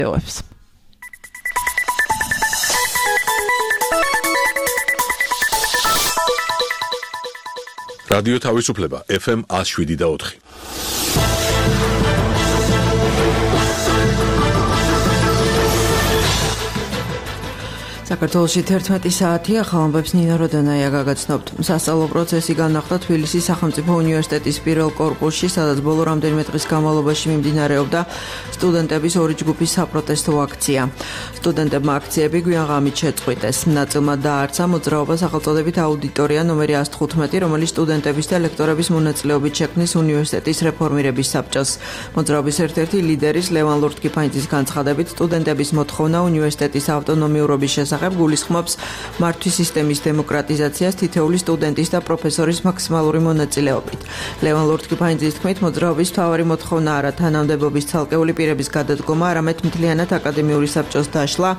ვიდეოებს. რადიო თავისუფლება FM 107.4. საქართველოში 11 საათია, ხალხებს ნინა როდანაია გაგაცნობთ. სასწავლო პროცესი განახლდა თბილისის სახელმწიფო უნივერსიტეტის პირველ კორპუსში, სადაც ბოლო რამდენიმე დღის განმავლობაში მიმდინარეობდა სტუდენტების ორი ჯგუფის საპროტესტო აქცია. სტუდენტებმა აქციები გვიან ღამით შეწყვიტეს. ნაწილმა დაარცა მოძრაობა სახელწოდებით აუდიტორია ნომერი 115, რომელიც სტუდენტების და ლექტორების მონაწილეობით შექმნის უნივერსიტეტის რეფორმირების საბჭოს. მოძრაობის ერთ-ერთი ლიდერის ლევან ლორთქიფანიძის განცხადებით, სტუდენტების მოთხოვნა უნივერსიტეტის ავტონომიურობის შესახებ გულისხმობს მართვის სისტემის დემოკრატიზაციას თითოეული სტუდენტის და პროფესორის მაქსიმალური მონაწილეობით. ლევან ლორთქიფანიძის თქმით, მოძრაობის მთავარი მოთხოვნა არა თანამდებობის ცალკეული პირების გადადგომა, არამედ მთლიანად აკადემიური საბჭოს დაშლა,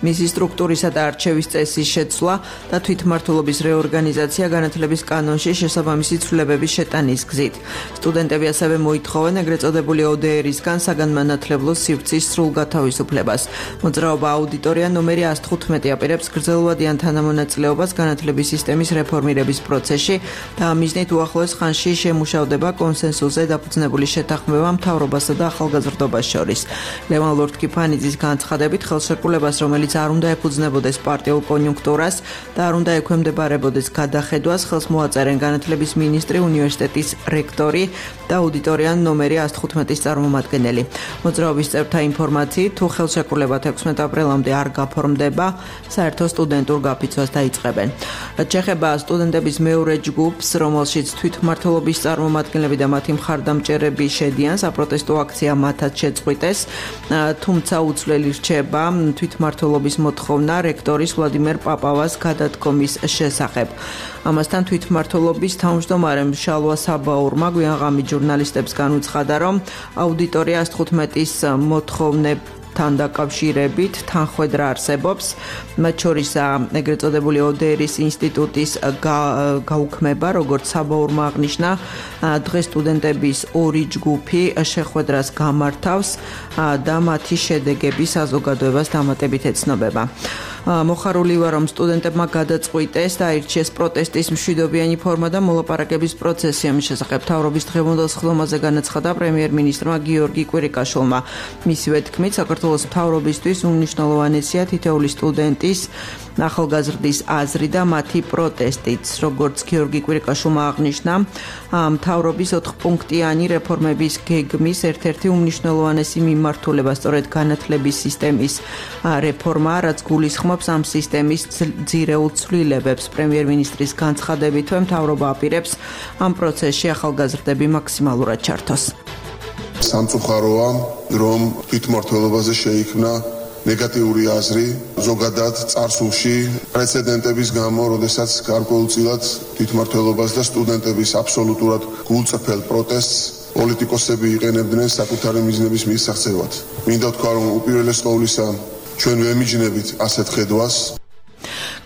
მისი სტრუქტურისა და არჩევის წესის შეცვლა და თვითმმართველობის რეორგანიზაცია განათლების კანონში შესაბამისი ცვლილებების შეტანის გზით. სტუდენტები ასევე მოითხოვენ ეგრეთ წოდებული ODR-ისგან საგანმანათლებლო სივრცის სრულ გათავისუფლებას. მოძრაობა აუდიტორია ნომერი 115 აპირებს გრძელვადიან თანამონაწილეობას განათლების სისტემის რეფორმირების პროცესში და ამ მიზნით უახლოეს ხანში შემუშავდება კონსენსუსზე დაფუძნებული შეთანხმება მთავრობასა და ახალგაზრდობას შორის. ლევან ლორთქიფანიძის განცხადებით, ხელშეკრულებას, რომელიც არ უნდა ეფუძნებოდეს პარტიულ კონიუნქტურას და არ უნდა ექვემდებარებოდეს გადახედვას, ხელს მოაწერენ განათლების მინისტრი, უნივერსიტეტის რექტორი და აუდიტორია ნომერი 115-ის წარმომადგენელი. მოძრაობის წევრთა ინფორმაციით, თუ ხელშეკრულება 16 აპრილამდე არ გაფორმდება, საერთო სტუდენტურ გაფიცვას დაიწყებენ. რაც შეეხება სტუდენტების მეორე ჯგუფს, რომელშიც თვითმმართველობის წარმომადგენლები და მათი მხარდამჭერები შედიან, საპროტესტო აქცია მათაც შეწყვიტეს, თუმცა უცვლელი რჩება თვითმმართველობის მოთხოვნა რექტორის ვლადიმერ პაპავას გადადგომის შესახებ. ამასთან თვითმმართველობის თავმჯდომარემ შალვა საბაურმა გვიან ღამით ჟურნალისტებს განუცხადა, რომ აუდიტორია 115-ის მოთხოვნებთან დაკავშირებით თანხwebdriver არსებობს, მათ შორისაა ეგრეთ წოდებული ODR-ის ინსტიტუტის გაუქმება, როგორც საბაურმა აღნიშნა, დღეს სტუდენტების ორი ჯგუფი შეხვედრას გამართავს და მათი შედეგები საზოგადოებას დამატებით ეცნობება. მოხარული ვარ, რომ სტუდენტებმა გადაწყვიტეს და აირჩიეს პროტესტის მშვიდობიანი ფორმა და მოლაპარაკების პროცესი. ამის შესახებ მთავრობის დღევანდელ სხდომაზე განაცხადა პრემიერ-მინისტრმა გიორგი კვირიკაშვილმა. მისივე თქმით, საქართველოს მთავრობისთვის უმნიშვნელოვანესია თითოეული სტუდენტის ახალგაზრდის აზრი და მათი პროტესტიც. როგორც გიორგი კვირიკაშვილმა აღნიშნა, მთავრობის 4-პუნქტიანი რეფორმების გეგმის ერთ-ერთი უმნიშვნელოვანესი მიმართულება სწორედ განათლების სისტემის რეფორმა, რაც გულისხმობს ამ სისტემის ძირეულ ცვლილებებს. პრემიერ-მინისტრის განცხადებითვე მთავრობა აპირებს ამ პროცესში ახალგაზრდები მაქსიმალურად ჩართოს. სამწუხაროა, რომ თვითმმართველობაზე შეიქმნა ნეგატიური აზრი, ზოგადად წარსულში პრეცედენტების გამო, როდესაც გარკვეულწილად თვითმმართველობას და სტუდენტების აბსოლუტურად გულწრფელ პროტესტს პოლიტიკოსები იყენებდნენ საკუთარი მიზნების მისაღწევად. მინდა ვთქვა, რომ უპირველეს ყოვლისა ჩვენ ვემიჯნებით ასეთ ხედვას.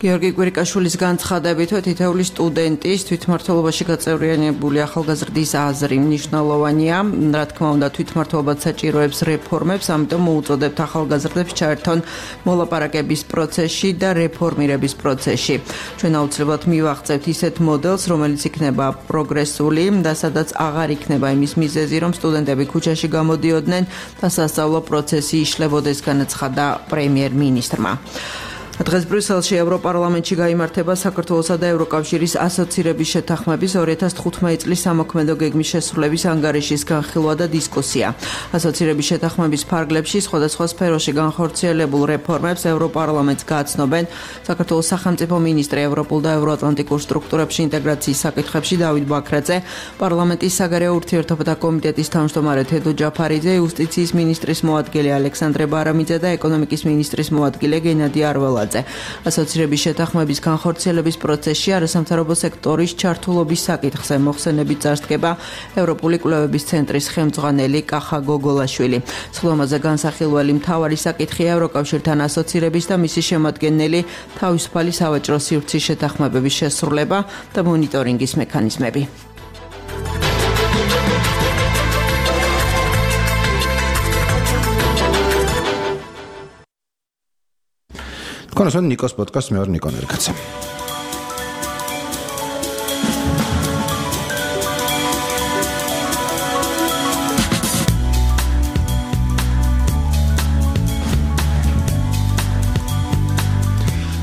გიორგი კვირიკაშვილის განცხადებითვე თითოეული სტუდენტის თვითმმართველობაში გაწევრიანებული ახალგაზრდის აზრი მნიშვნელოვანია. რა თქმა უნდა, თვითმმართველობა საჭიროებს რეფორმებს, ამიტომ მოუწოდებთ ახალგაზრდებს ჩაერთონ მოლაპარაკების პროცესში და რეფორმირების პროცესში. ჩვენ აუცილებლად მივაღწევთ ისეთ მოდელს, რომელიც იქნება პროგრესული და სადაც აღარ იქნება იმის მიზეზი, რომ სტუდენტები ქუჩაში გამოდიოდნენ და სასწავლო პროცესი იშლებოდეს, განაცხადა პრემიერ-მინისტრმა. დღეს ბრიუსელში ევროპარლამენტში გაიმართება საქართველოსა და ევროკავშირის ასოცირების შეთანხმების 2015 წლის სამოქმედო გეგმის შესრულების ანგარიშის განხილვა და დისკუსია. ასოცირების შეთანხმების ფარგლებში სხვადასხვა სფეროში განხორციელებულ რეფორმებს ევროპარლამენტს გააცნობენ საქართველოს სახელმწიფო მინისტრი ევროპულ და ევროატლანტიკურ სტრუქტურებში ინტეგრაციის საკითხებში დავით ბაქრაძე, პარლამენტის საგარეო ურთიერთობათა კომიტეტის თავმჯდომარე თედო ჯაფარიძე, იუსტიციის მინისტრის მოადგილე ალექსანდრე ბარამიძე და ეკონომიკის მინისტრის მოადგილე გენადი არველაძე. ასოცირების შეთანხმების განხორციელების პროცესში არასამთავრობო სექტორის ჩართულობის საკითხზე მოხსენებით წარსდგება ევროპული კვლევების ცენტრის ხელმძღვანელი კახა გოგოლაშვილი. სხდომაზე განსახილველი მთავარი საკითხია ევროკავშირთან ასოცირების და მისი შემადგენელი თავისუფალი სავაჭრო სივრცის შეთანხმებების შესრულება და მონიტორინგის მექანიზმები. ქონასონ ნიკოს პოდკასტ მე ვარ ნიკო ნერგაცა.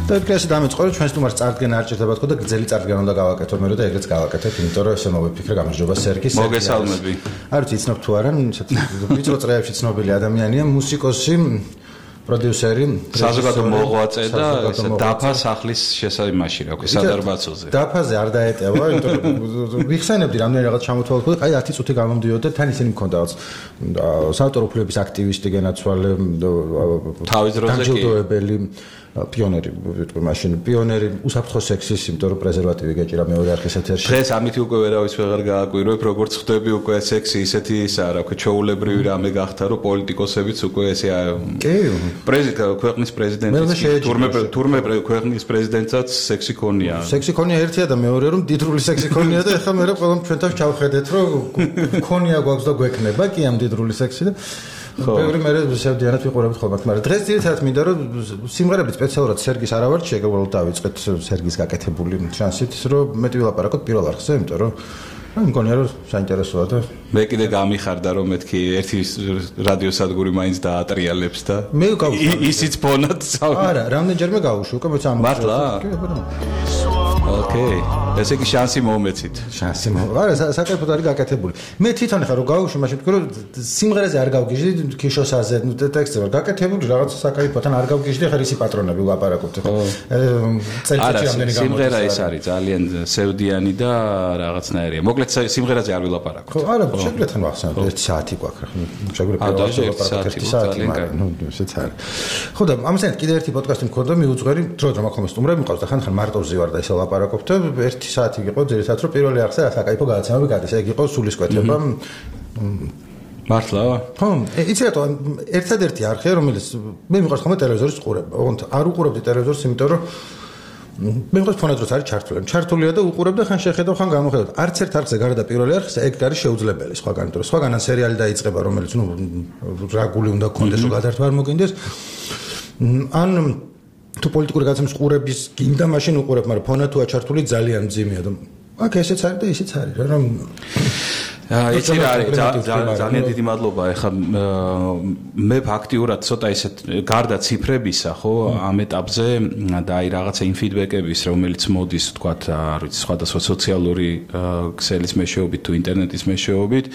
და ეს დამეწყო ჩვენს თუმარს წარდგენა არ ჭირდება თქო და გრძელი წარდგენა უნდა გავაკეთო მე რომ და ეგრეც გავაკეთებ იმიტომ რომ ესე მოვიფიქრე გამარჯობა სერგი მოგესალმები არ ვიცი იცნობ თუ არა ვიწრო წრეებში ცნობილი ადამიანია მუსიკოსი პროდიუსერი საზოგადო მოღვაწე და დაფა სახლის შესაიმაში რა ქვია სადარბაცოზე დაფაზე არ დაეტევა იმიტომ რომ ვიხსენებდი რამდენი რაღაც ჩამოთვალე ხო აი 10 წუთი გამომდიოდა თან ისინი მქონდა საავტორო უფლებების აქტივისტი გენაცვალე თავის დროზე კი პიონერი ვიტყვი მაშინ პიონერი უსაფრთხო სექსის იმიტომ რომ პრეზერვატივი გეჭირა მეორე არხის ეთერში დღეს ამითი უკვე ვერავის ვეღარ გააკვირვებ როგორც ხვდები უკვე სექსი ისეთი ისაა რა ქვია ჩაულებრივი რამე გახდა რომ პოლიტიკოსებიც უკვე ესე ქვეყნის პრეზიდენტი თურმე ქვეყნის პრეზიდენტსაც სექსი ქონია სექსი ქონია ერთია და მეორე რომ დიდრული სექსი ქონია და ეხლა მე ყველამ ჩვენთან ჩავხედეთ რომ ქონია გვაქვს და გვექნება კი ამ დიდრული სექსი და ბევრი მე შევდიანად ვიყურებთ ხოლმე მაგრამ დღეს ძირითადად მინდა რომ სიმღერები სპეციალურად სერგის არ ავარჩიე უბრალოდ დავიწყეთ სერგის გაკეთებული შანსით რომ მეტი ვილაპარაკოთ პირველ არხზე იმიტომ რომ მგონია რომ საინტერესოა და მე კიდე გამიხარდა რომ მეთქი ერთი რადიოსადგური მაინც დაატრიალებს და მე ისიც ფონად არა რამდენჯერმე გავუშვი უკვე მეც ამ მართლა ოკეი ესე იგი შანსი მომეცით შანსი არა საკეთებოდ არის გაკეთებული მე თვითონ ხარ რომ გავუშვი მაშინ თქვი რომ სიმღერაზე არ გავგიჟდი ქიშოსაზე ტექსტზე ვარ გაკეთებული რაღაც საკეთებოდთან არ გავგიჟდი ხარ ისი პატრონები ვლაპარაკობთ ხო წელიწადში რამდენი გამოდის სიმღერა ეს არის ძალიან სევდიანი და რაღაცნაირია მოკლედ სიმღერაზე არ ვილაპარაკობ ხო არა შეგვიძლია თან ვახსენოთ 1 საათი გვაქვს შეგვიძლია ვილაპარაკოთ 1 საათი მაგრამ ნუ ესეც არის ხო და ამასთან კიდე ერთი პოდკასტი მქონდა მიუძღვერი დრო ხომ სტუმრები მყავს და ხან მარტოვზე ვარ და ესე ვლაპარაკობთ 1 საათი იყო ძირითადად რომ პირველი არხზე საკაიფო გადაცემები გადის ეგ იყო სულისკვეთება მართლა ხო იცი რატო ერთადერთი არხია რომელიც მე მიყვარს ხოლმე ტელევიზორის ყურება ოღონდ არ უყურებდი ტელევიზორს იმიტომ რომ მე მგონი ფონადროც არის ჩართულია და უყურებ და ხან შეხედავ ხან გამოხედავ არც ერთ არხზე გარდა პირველი არხზე ეგ არის შეუძლებელი სხვაგან იმიტომ რომ სხვაგან სერიალი დაიწყება რომელიც ნუ რაგული უნდა გქონდეს რომ გადართვა არ მოგინდეს ან თუ პოლიტიკური გადაცემის ყურების გინდა მაშინ უყურებ მაგრამ ფონად თუ აჩართული ძალიან მძიმეა და აქ ესეც არის და ისიც არის რა რომ იცი რა არის ძალიან დიდი მადლობა ეხლა მე ფაქტიურად ცოტა ისეთ გარდა ციფრებისა ხო ამ ეტაპზე და აი რაღაცა იმ ფიდბეკების რომელიც მოდის თქვათ არ ვიცი სხვადასხვა სოციალური ქსელის მეშვეობით თუ ინტერნეტის მეშვეობით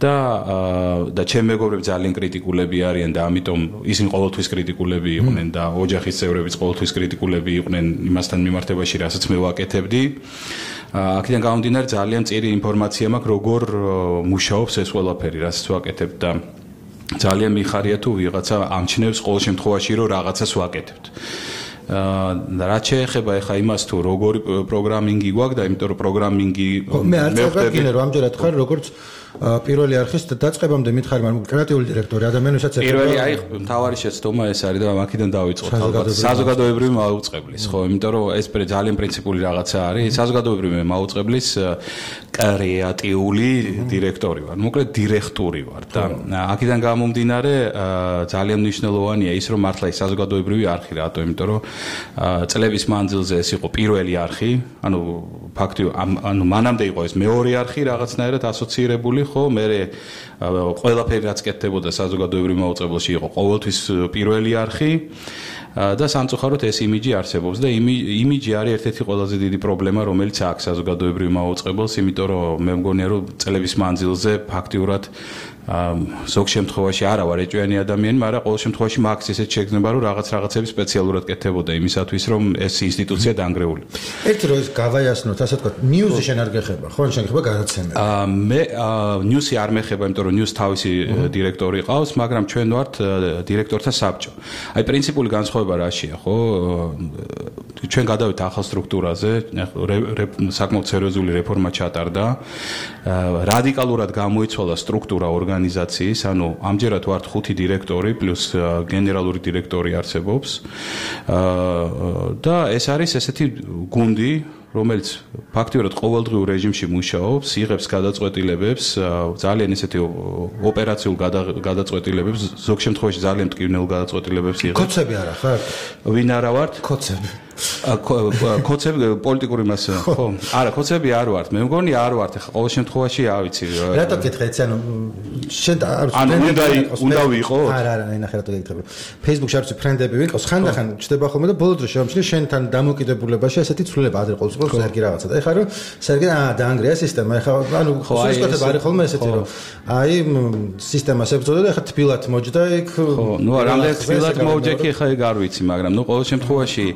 და ჩემ მეგობრები ძალიან კრიტიკულები არიან და ამიტომ ისინი ყოველთვის კრიტიკულები იყვნენ და ოჯახის წევრებიც ყოველთვის კრიტიკულები იყვნენ იმასთან მიმართებაში რასაც მე ვაკეთებდი აქედან გამომდინარე ძალიან წირი ინფორმაცია მაქვს როგორ მუშაობს ეს ყველაფერი რასაც ვაკეთებ და ძალიან მიხარია თუ ვიღაცა ამჩნევს ყოველ შემთხვევაში რომ რაღაცას ვაკეთებთ რაც შეეხება ახლა იმას თუ როგორი პროგრამინგი გვაქვს და იმიტომ რომ პროგრამინგი მე არ წავგინე რომ ამჯერად ხარ როგორც პირველი არხის დაწყებამდე მითხარი მაგრამ კრეატიული დირექტორი ადამიანებსაც პირველი აი მთავარი შეცდომა ეს არის და აქედან დავიწყოთ ალბათ საზოგადოებრივი მაუწყებლის ხო იმიტომ რომ ეს ძალიან პრინციპული რაღაცა არის საზოგადოებრივი მაუწყებლის კრეატიული დირექტორი ვარ მოკლედ დირექტორი ვარ და აქედან გამომდინარე ძალიან მნიშვნელოვანია ის რომ მართლა ის საზოგადოებრივი არხი რატო იმიტომ რომ წლების მანძილზე ეს იყო პირველი არხი ანუ ფაქტია ანუ მანამდე იყო ეს მეორე არხი რაღაცნაირად ასოცირებული ხო მე ყველაფერი რაც კეთდებოდა საზოგადოებრივ მაუწყებელში იყო ყოველთვის პირველი არხი და სამწუხაროდ ეს იმიჯი არსებობს და იმიჯი არის ერთ-ერთი ყველაზე დიდი პრობლემა რომელიც აქვს საზოგადოებრივ მაუწყებელს იმიტომ რომ მე მგონია რომ წლების მანძილზე ფაქტიურად ზოგ შემთხვევაში არა ვარ ეჭვიანი ადამიანი, მაგრამ ყოველ შემთხვევაში მაქვს ესეთ შეგრძნება, რომ რაღაცები სპეციალურად კეთდებოდა იმისათვის, რომ ეს ინსტიტუცია დაანგრეული. ერთი რო ის გავაიასნოთ, ასე ვთქვათ, ნიუსი შენ არ გეხება, ხო? შენ გეხება გადაცემები. მე ნიუსი არ მეხება, იმიტომ რომ ნიუს თავისი დირექტორი ყავს, მაგრამ ჩვენ ვართ დირექტორთა საბჭო. აი პრინციპული განსხვავება რაშია, ხო? ჩვენ გადავით ახალ სტრუქტურაზე, საკმაოდ სერიოზული რეფორმა ჩატარდა. რადიკალურად გამოიცვალა სტრუქტურა ორგანიზაციის, ანუ ამჯერად ვართ 5 დირექტორი პლუს გენერალური დირექტორი არსებობს. და ეს არის ესეთი გუნდი რომელიც ფაქტიურად ყოველდღიურ რეჟიმში მუშაობს, იღებს გადაწყვეტილებებს, ძალიან ესეთი ოპერაციულ გადაწყვეტილებებს, ზოგ შემთხვევაში ძალიან მტკივნეულ გადაწყვეტილებებს იღებს. კოცები არა ხარ? ვინ არა ვართ? კოცები. კოცები პოლიტიკური მასა ხო? არა, კოცები არ ვართ. მე მგონი არ ვართ. ახლა ყოველ შემთხვევაში ავიცი. რატო გითხე ეცი შენ უნდა ვიყო? არა, ნახე რატო გითხე. Facebook-ში არის ფრენდები ვიყოს, ხანდახან ჩდება ხოლმე და ბოლო დროს შემჩნი შენთან დამოკიდებულებაში ესეთი ცვლილება ადრე ყოველთვის სერგი რაღაცა. და ეხლა რომ სერგი დაანგრია სისტემა. ეხლა სულისკვეთება არის ხოლმე ესეთი რომ აი სისტემას ებრძოდა და ეხლა თბილად მოჯდა იქ. ხო, ნუ რამდენი თბილად მოჯდა კი ეხლა ეგ არ ვიცი, მაგრამ ნუ ყოველ შემთხვევაში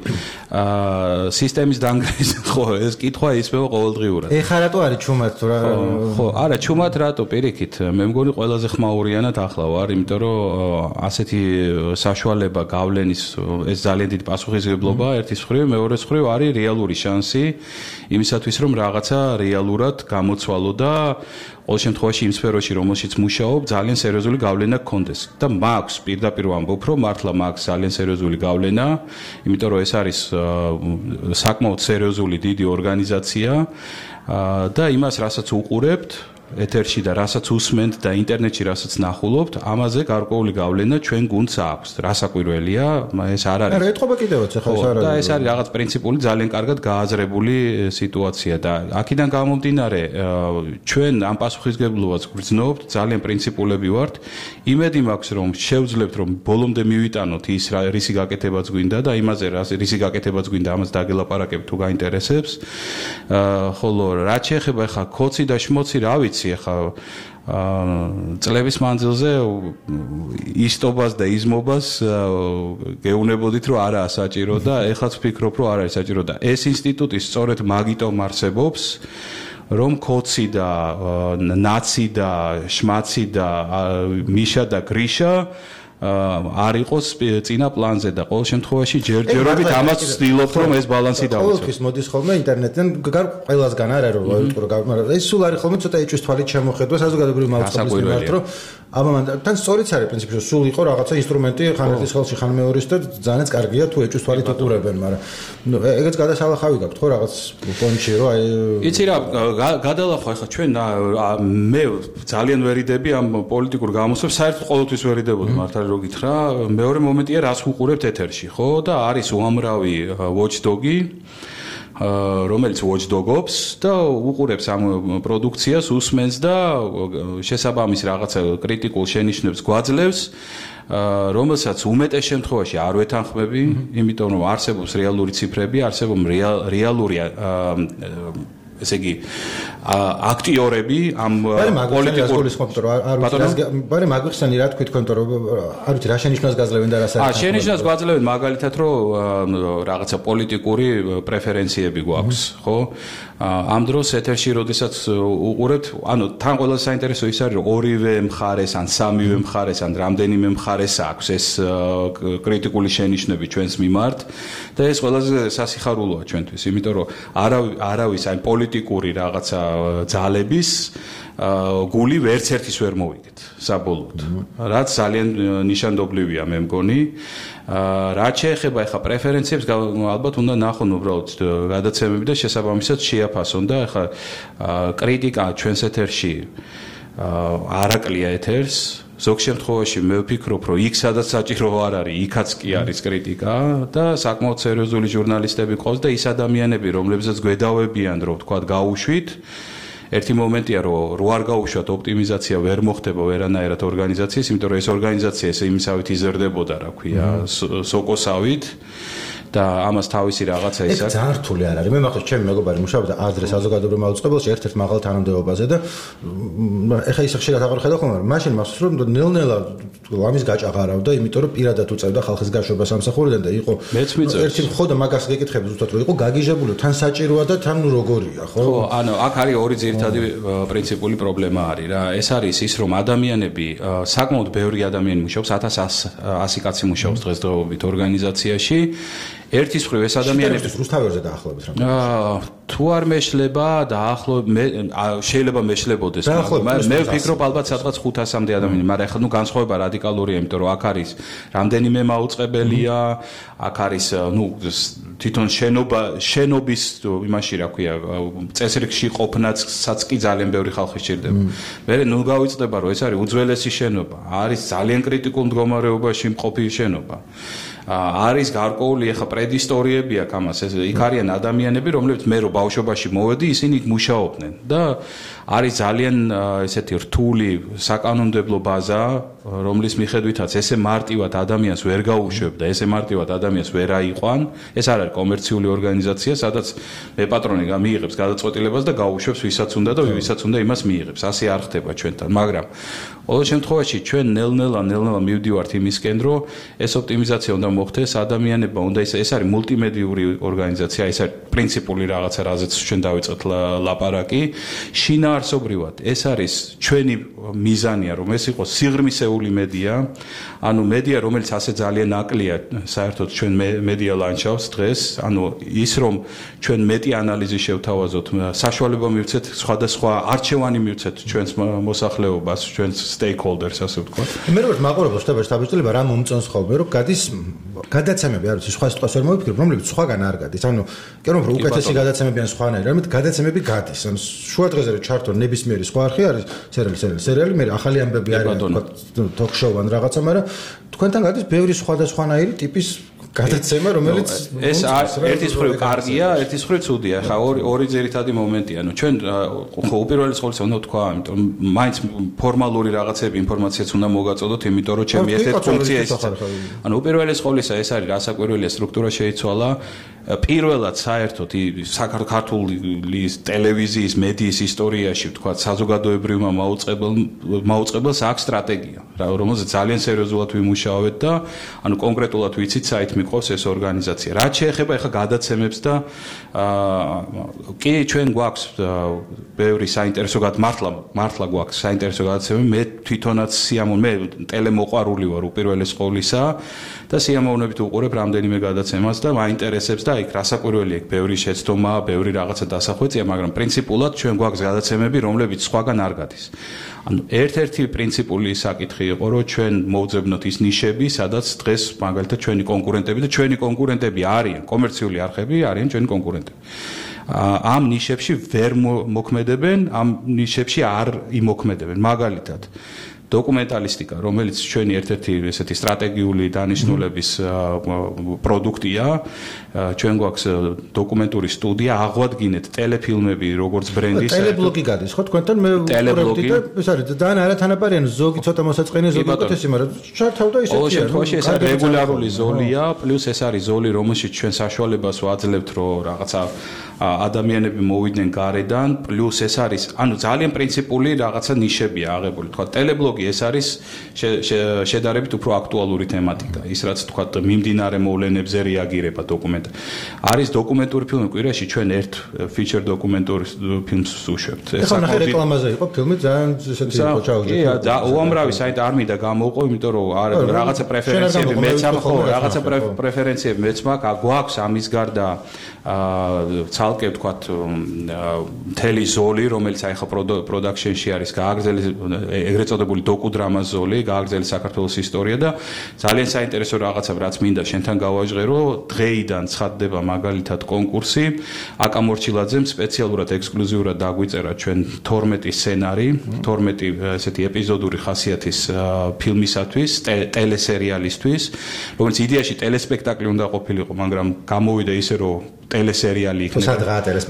სისტემის დაანგრიის ხო ეს კითხვა ისმევა ყოველდღიურად. ეხლა რატო არის ჩუმად თუ რა? ხო, არა, ჩუმად რატო პირიქით. მე მგონი ყველაზე ხმაურიანად ახლა ვარ, იმიტომ რომ ასეთი საშუალება გავლენის ეს ძალიან დიდი პასუხისმგებლობა ერთის მხრივ, მეორეს მხრივ არის რეალური შანსი იმისათვის, რომ რაღაცა რეალურად გამოცვალო და ყოველ შემთხვევაში იმ სფეროში, რომელშიც მუშაობ, ძალიან სერიოზული გავლენა გქონდეს. და მაქვს პირდაპირ ვამბობ, რომ მართლა მაქვს ძალიან სერიოზული გავლენა, იმიტომ რომ ეს არის საკმაოდ სერიოზული დიდი ორგანიზაცია და იმას, რასაც უყურებთ ეთერში და რასაც უსმენთ და ინტერნეტში რასაც ნახულობთ, ამაზე გარკვეული გავლენა ჩვენ გუნდს აქვს. რასაკვირველია, ეს არ არის. არა, ეთყობა კიდევაც ახლა ეს არ არის. და ეს არის რაღაც პრინციპული, ძალიან კარგად გააზრებული სიტუაცია და აქედან გამომდინარე, ჩვენ ამ პასუხისმგებლობას გვგრძნობთ, ძალიან პრინციპულები ვართ. იმედი მაქვს, რომ შევძლებთ, რომ ბოლომდე მივიტანოთ ის რისი გაკეთებაც გვინდა და იმაზე რისი გაკეთებაც გვინდა, ამას დაგელაპარაკებთ თუ გაინტერესებს. ხოლო რაც შეეხება ახლა ქოცი და შმოცი, რა ვიცი ახლა წლების მანძილზე ისტობას და იზმობას გეუნებოდით რომ არაა საჭირო და ეხლაც ვფიქრობ რომ არ არის საჭირო და ეს ინსტიტუტი სწორედ მაგიტომ არსებობს რომ ქოცი და ნაცი და შმაცი და მიშა და გრიშა არ იყოს წინა პლანზე და ყოველ შემთხვევაში ჯერჯერობით ამას ვცდილობთ რომ ეს ბალანსი დავიცვათ. ყოველთვის მოდის ხოლმე ინტერნეტიდან ყველასგან არა რომ მაგრამ ეს სულ არის ხოლმე ცოტა ეჭვის თვალით შემოხედვა საზოგადოებრივი მაუწყებლის მიმართ რომ თან სწორიც არის პრინციპში სულ იყო რაღაცა ინსტრუმენტი ხან ერთის ხელში ხან მეორის და ძალიანაც კარგია თუ ეჭვის თვალით უყურებენ მაგრამ ეგეც გადასალახავი გაქვთ ხო რაღაც პონჩი რომ აი იცი რა გადალახვა ახლა ჩვენ მე ძალიან ვერიდები ამ პოლიტიკურ გამოსვლებს საერთოდ ყოველთვის ვერიდებოდი მართალი რო გითხრა მეორე მომენტია რას ვუყურებთ ეთერში ხო და არის უამრავი watchdog-ი რომელიც watchdog-ობს და უყურებს ამ პროდუქციას უსმენს და შესაბამის რაღაცა კრიტიკულ შენიშვნებს გვაძლევს რომელსაც უმეტეს შემთხვევაში არ ვეთანხმები იმიტომ რომ არსებობს რეალური ციფრები არსებობს რეალური ესე იგი აქტიორები ამ პოლიტიკურ ბარე მაგვიხსენი რა თქვი თქვენ რომ არ ვიცი რა შენიშვნას გაძლევენ და რას არის შენიშვნას გაძლევენ მაგალითად რომ რაღაცა პოლიტიკური პრეფერენციები გვაქვს ხო ამ დროს ეთერში როდესაც უყურებთ ანუ თან ყველაზე საინტერესო ის არის რომ ორივე მხარეს ან სამივე მხარეს ან რამდენიმე მხარეს აქვს ეს კრიტიკული შენიშვნები ჩვენს მიმართ და ეს ყველაზე სასიხარულოა ჩვენთვის იმიტომ რომ არავის აი პოლიტიკური რაღაცა ძალების გული ვერც ერთის ვერ მოვიგეთ საბოლოოდ რაც ძალიან ნიშანდობლივია მე მგონი რაც შეეხება ახლა პრეფერენციებს ალბათ უნდა ნახონ უბრალოდ გადაცემები და შესაბამისად შეაფასონ და ახლა კრიტიკა ჩვენს ეთერში არაკლია ეთერს ზოგ შემთხვევაში მე ვფიქრობ რომ იქ სადაც საჭირო არ არის იქაც კი არის კრიტიკა და საკმაოდ სერიოზული ჟურნალისტები ყავს და ის ადამიანები რომლებსაც გვედავებიან რომ თქვა გაუშვით ერთი მომენტია რომ რო არ გაუშვათ ოპტიმიზაცია ვერ მოხდება ვერანაირად ორგანიზაციის იმიტომ რომ ეს ორგანიზაცია ესე იმისავით იზრდებოდა რა ქვია სოკოსავით და ამას თავისი რაღაცა ის აქვს. ძალიან რთული არ არის. მე მახსოვს ჩემი მეგობარი მუშაობდა ადრე საზოგადოებრივ მაუწყებელში ერთ-ერთ მაღალ თანამდებობაზე და ეხა ის ხშირად აღარ ხედავ ხოლმე, მაშინ მახსოვს რომ ნელ-ნელა ლამის გაჭაღარავდა, იმიტომ რომ პირადად უწევდა ხალხის გაშვებას სამსახურიდან და იყო ერთი ხო და მაგას გეკითხები ზუსტად რომ იყო გაგიჟებული, თან საჭიროა და თან როგორია, ხო? ხო, ანუ აქ არის ორი ძირითადი პრინციპული პრობლემა არის რა. ეს არის ის რომ ადამიანები საკმაოდ ბევრი ადამიანი მუშაობს, 1100 კაცი მუშაობს დღესდღეობით ორგანიზაციაში ერთის მხრივ ეს ადამიანები რუსთავერზე დაახლოებით რა. თუ არ მეშლება შეიძლება მეშლებოდეს, მაგრამ მე ვფიქრობ ალბათ სადღაც 500-მდე ადამიანი, მაგრამ ეხლა განსხვავება რადიკალურია, იმიტომ რომ აქ არის რამდენიმე მაუწყებელია, აქ არის თვითონ შენობის იმაში რა ქვია, წესრიგში ყოფნაცაც კი ძალიან ბევრი ხალხი სჭირდება. მე გავიწდება რომ ეს არის უძველესი შენობა, არის ძალიან კრიტიკულ მდგომარეობაში მყოფი შენობა. არის გარკვეული ახლა პრედისტორიები აქვს ამას, იქ არიან ადამიანები, რომლებიც მე რო ბავშვობაში მოვედი, ისინი იქ მუშაობდნენ და არის ძალიან ესეთი რთული საკანონმდებლო ბაზა, რომლის მიხედვითაც ესე მარტივად ადამიანს ვერ გაუშვებდა, ესე მარტივად ადამიანს ვერ აიყვან, ეს არ არის კომერციული ორგანიზაცია, სადაც მე პატრონი მიიღებს გადაწყვეტილებას და გაუშვებს ვისაც უნდა და ვისაც უნდა იმას მიიღებს. ასე არ ხდება ჩვენთან, მაგრამ ყოველ შემთხვევაში ჩვენ ნელ-ნელა მივდივართ იმისკენ, რომ ეს ოპტიმიზაცია უნდა მოხდეს, ადამიანებმა უნდა ეს არის მულტიმედიური ორგანიზაცია, ეს არის პრინციპული რაღაცა, რაზეც ჩვენ დავიწყეთ ლაპარაკი. შინაარსობრივად ეს არის ჩვენი მიზანია, რომ ეს იყოს სიღრმისეული მედია, ანუ მედია, რომელიც ასე ძალიან აკლია საერთოდ ჩვენ მედია ლანდშაფტს დღეს, ანუ ის რომ ჩვენ მეტი ანალიზი შევთავაზოთ, საშუალება მივცეთ სხვადასხვა არჩევანი მივცეთ ჩვენს მოსახლეობას, ჩვენს stakeholders, ასე ვთქვათ. მე როგორც მაყურებელ შტაბ-შტაბ-შტაბ-შტაბ რა მომწონს ხოლმე, რომ გადის გადაცემები, არ ვიცი, სხვა სიტყვას ვერ მოვიფიქრებ, რომლებიც სხვაგან არ გადის. ანუ კი რომ უკეთესი გადაცემები ან სხვანაირი, რამეთ გადაცემები გადის. ანუ შუა დღეზე რომ ჩართო ნებისმიერი სხვა არხი არის, სერიალი, მე ახალი ამბები არის, talk-show ან რაღაცა, მაგრამ თქვენთან გადის ბევრი სხვადასხვანაირი ტიპის გადაცემა, რომელიც ერთის მხრივ კარგია, ერთის მხრივ ცუდია. ხა ორი ძირითადი მომენტია. ანუ ჩვენ ხო უპირველეს ყოვლისა უნდა ვთქვა, იმიტომ მაინც ფორმალური რაღაცები ინფორმაციაც უნდა მოგაწოდოთ, იმიტომ რომ ჩემი ერთ-ერთი ფუნქცია ის. ანუ უპირველეს ყოვლისა ეს არის რასაკვირველია სტრუქტურა შეიცვალა. პირველად საერთოდ საქართველოს ტელევიზიის მედიის ისტორიაში ვთქვა საზოგადოებრივმა მაუწყებელს აქვს სტრატეგია, რომელზეც ძალიან სერიოზულად ვიმუშავეთ და ანუ კონკრეტულად ვიცით საით მიყავს ეს ორგანიზაცია. რაც შეეხება ახლა გადაცემებს და კი ჩვენ გვაქვს ბევრი საინტერესო მართლა გვაქვს საინტერესო გადაცემები. მე თვითონაც მე ტელემოყვარული ვარ უპირველეს ყოვლისა და სიამოვნებით უყურებ რამდენიმე გადაცემას და მაინტერესებს და იქ რასაკვირველია, იქ ბევრი შეცდომა, ბევრი რაღაცა დასახვეწია, მაგრამ პრინციპულად ჩვენ გვაქვს გადაცემები, რომლებიც სხვაგან არ გადის. ანუ ერთ-ერთი პრინციპული საკითხი იყო, რომ ჩვენ მოვძებნოთ ის ნიშები, სადაც დღეს მაგალითად ჩვენი კონკურენტები და ჩვენი კონკურენტები არიან, კომერციული არხები არიან ჩვენი კონკურენტები. ამ ნიშებში ვერ მოქმედებენ, ამ ნიშებში არ იმოქმედებენ. მაგალითად დოკუმენტალისტიკა, რომელიც ჩვენი ერთ-ერთი ესეთი სტრატეგიული დანიშნულების პროდუქტია, ჩვენ გვაქვს დოკუმენტური სტუდია, აღვადგინეთ ტელეფილმები, როგორც ბრენდის. ტელებლოგი გადის, ხო, თქვენთან მე ვუყურებდი და ეს არის ძალიან არათანაბარიანი, ზოგი ცოტა მოსაწყენია, ზოგი უკეთესი, მაგრამ ჩართავდა ისეთი. ყოველ შემთხვევაში ეს არის რეგულარული ზოლია, პლუს ეს არის ზოლი, რომელშიც ჩვენ საშუალებას ვაძლევთ, რომ რაღაცა ადამიანები მოვიდნენ გარედან, პლუს ეს არის, ანუ ძალიან პრინციპული რაღაცა ნიშებია აღებული, თქვა ტელებლოგი ეს არის შედარებით უფრო აქტუალური თემატიკა. ის რაც თქვა მიმდინარე მოვლენებზე რეაგირება დოკუმენტ. არის დოკუმენტური ფილმი კვირაში ჩვენ ერთ ფიჩერ დოკუმენტური ფილმს ვუშვებთ. ეხლა ნახე რეკლამაზე იყო ფილმი ძალიან ესეთი იყო ჩაუჯეთ. კი, უამრავი საით არ მინდა გამოვყო, იმიტომ რომ რაღაცა პრეფერენციები მეც ხო, რაღაცა პრეფერენციები მეც მაქვს, გვაქვს ამის გარდა ცალკე ვთქვათ მთელი ზოლი, რომელიც აი ხა პროდაქშენში არის გააგრძელი ეგრეთ წოდებული დოკუდრამას ზოლი, გააგრძელი საქართველოს ისტორია და ძალიან საინტერესო რაღაცა რაც მინდა შენთან გავაჟღერო, დღეიდან ცხადდება მაგალითად კონკურსი. აკა მორჩილაძემ სპეციალურად ექსკლუზიურად დაგვიწერა ჩვენ 12 სცენარი, 12 ესეთი ეპიზოდური ხასიათის ფილმისათვის, ტელესერიალისთვის, რომელიც იდეაში ტელესპექტაკლი უნდა ყოფილიყო, მაგრამ გამოვიდა ისე რომ ტელესერიალი იქნება.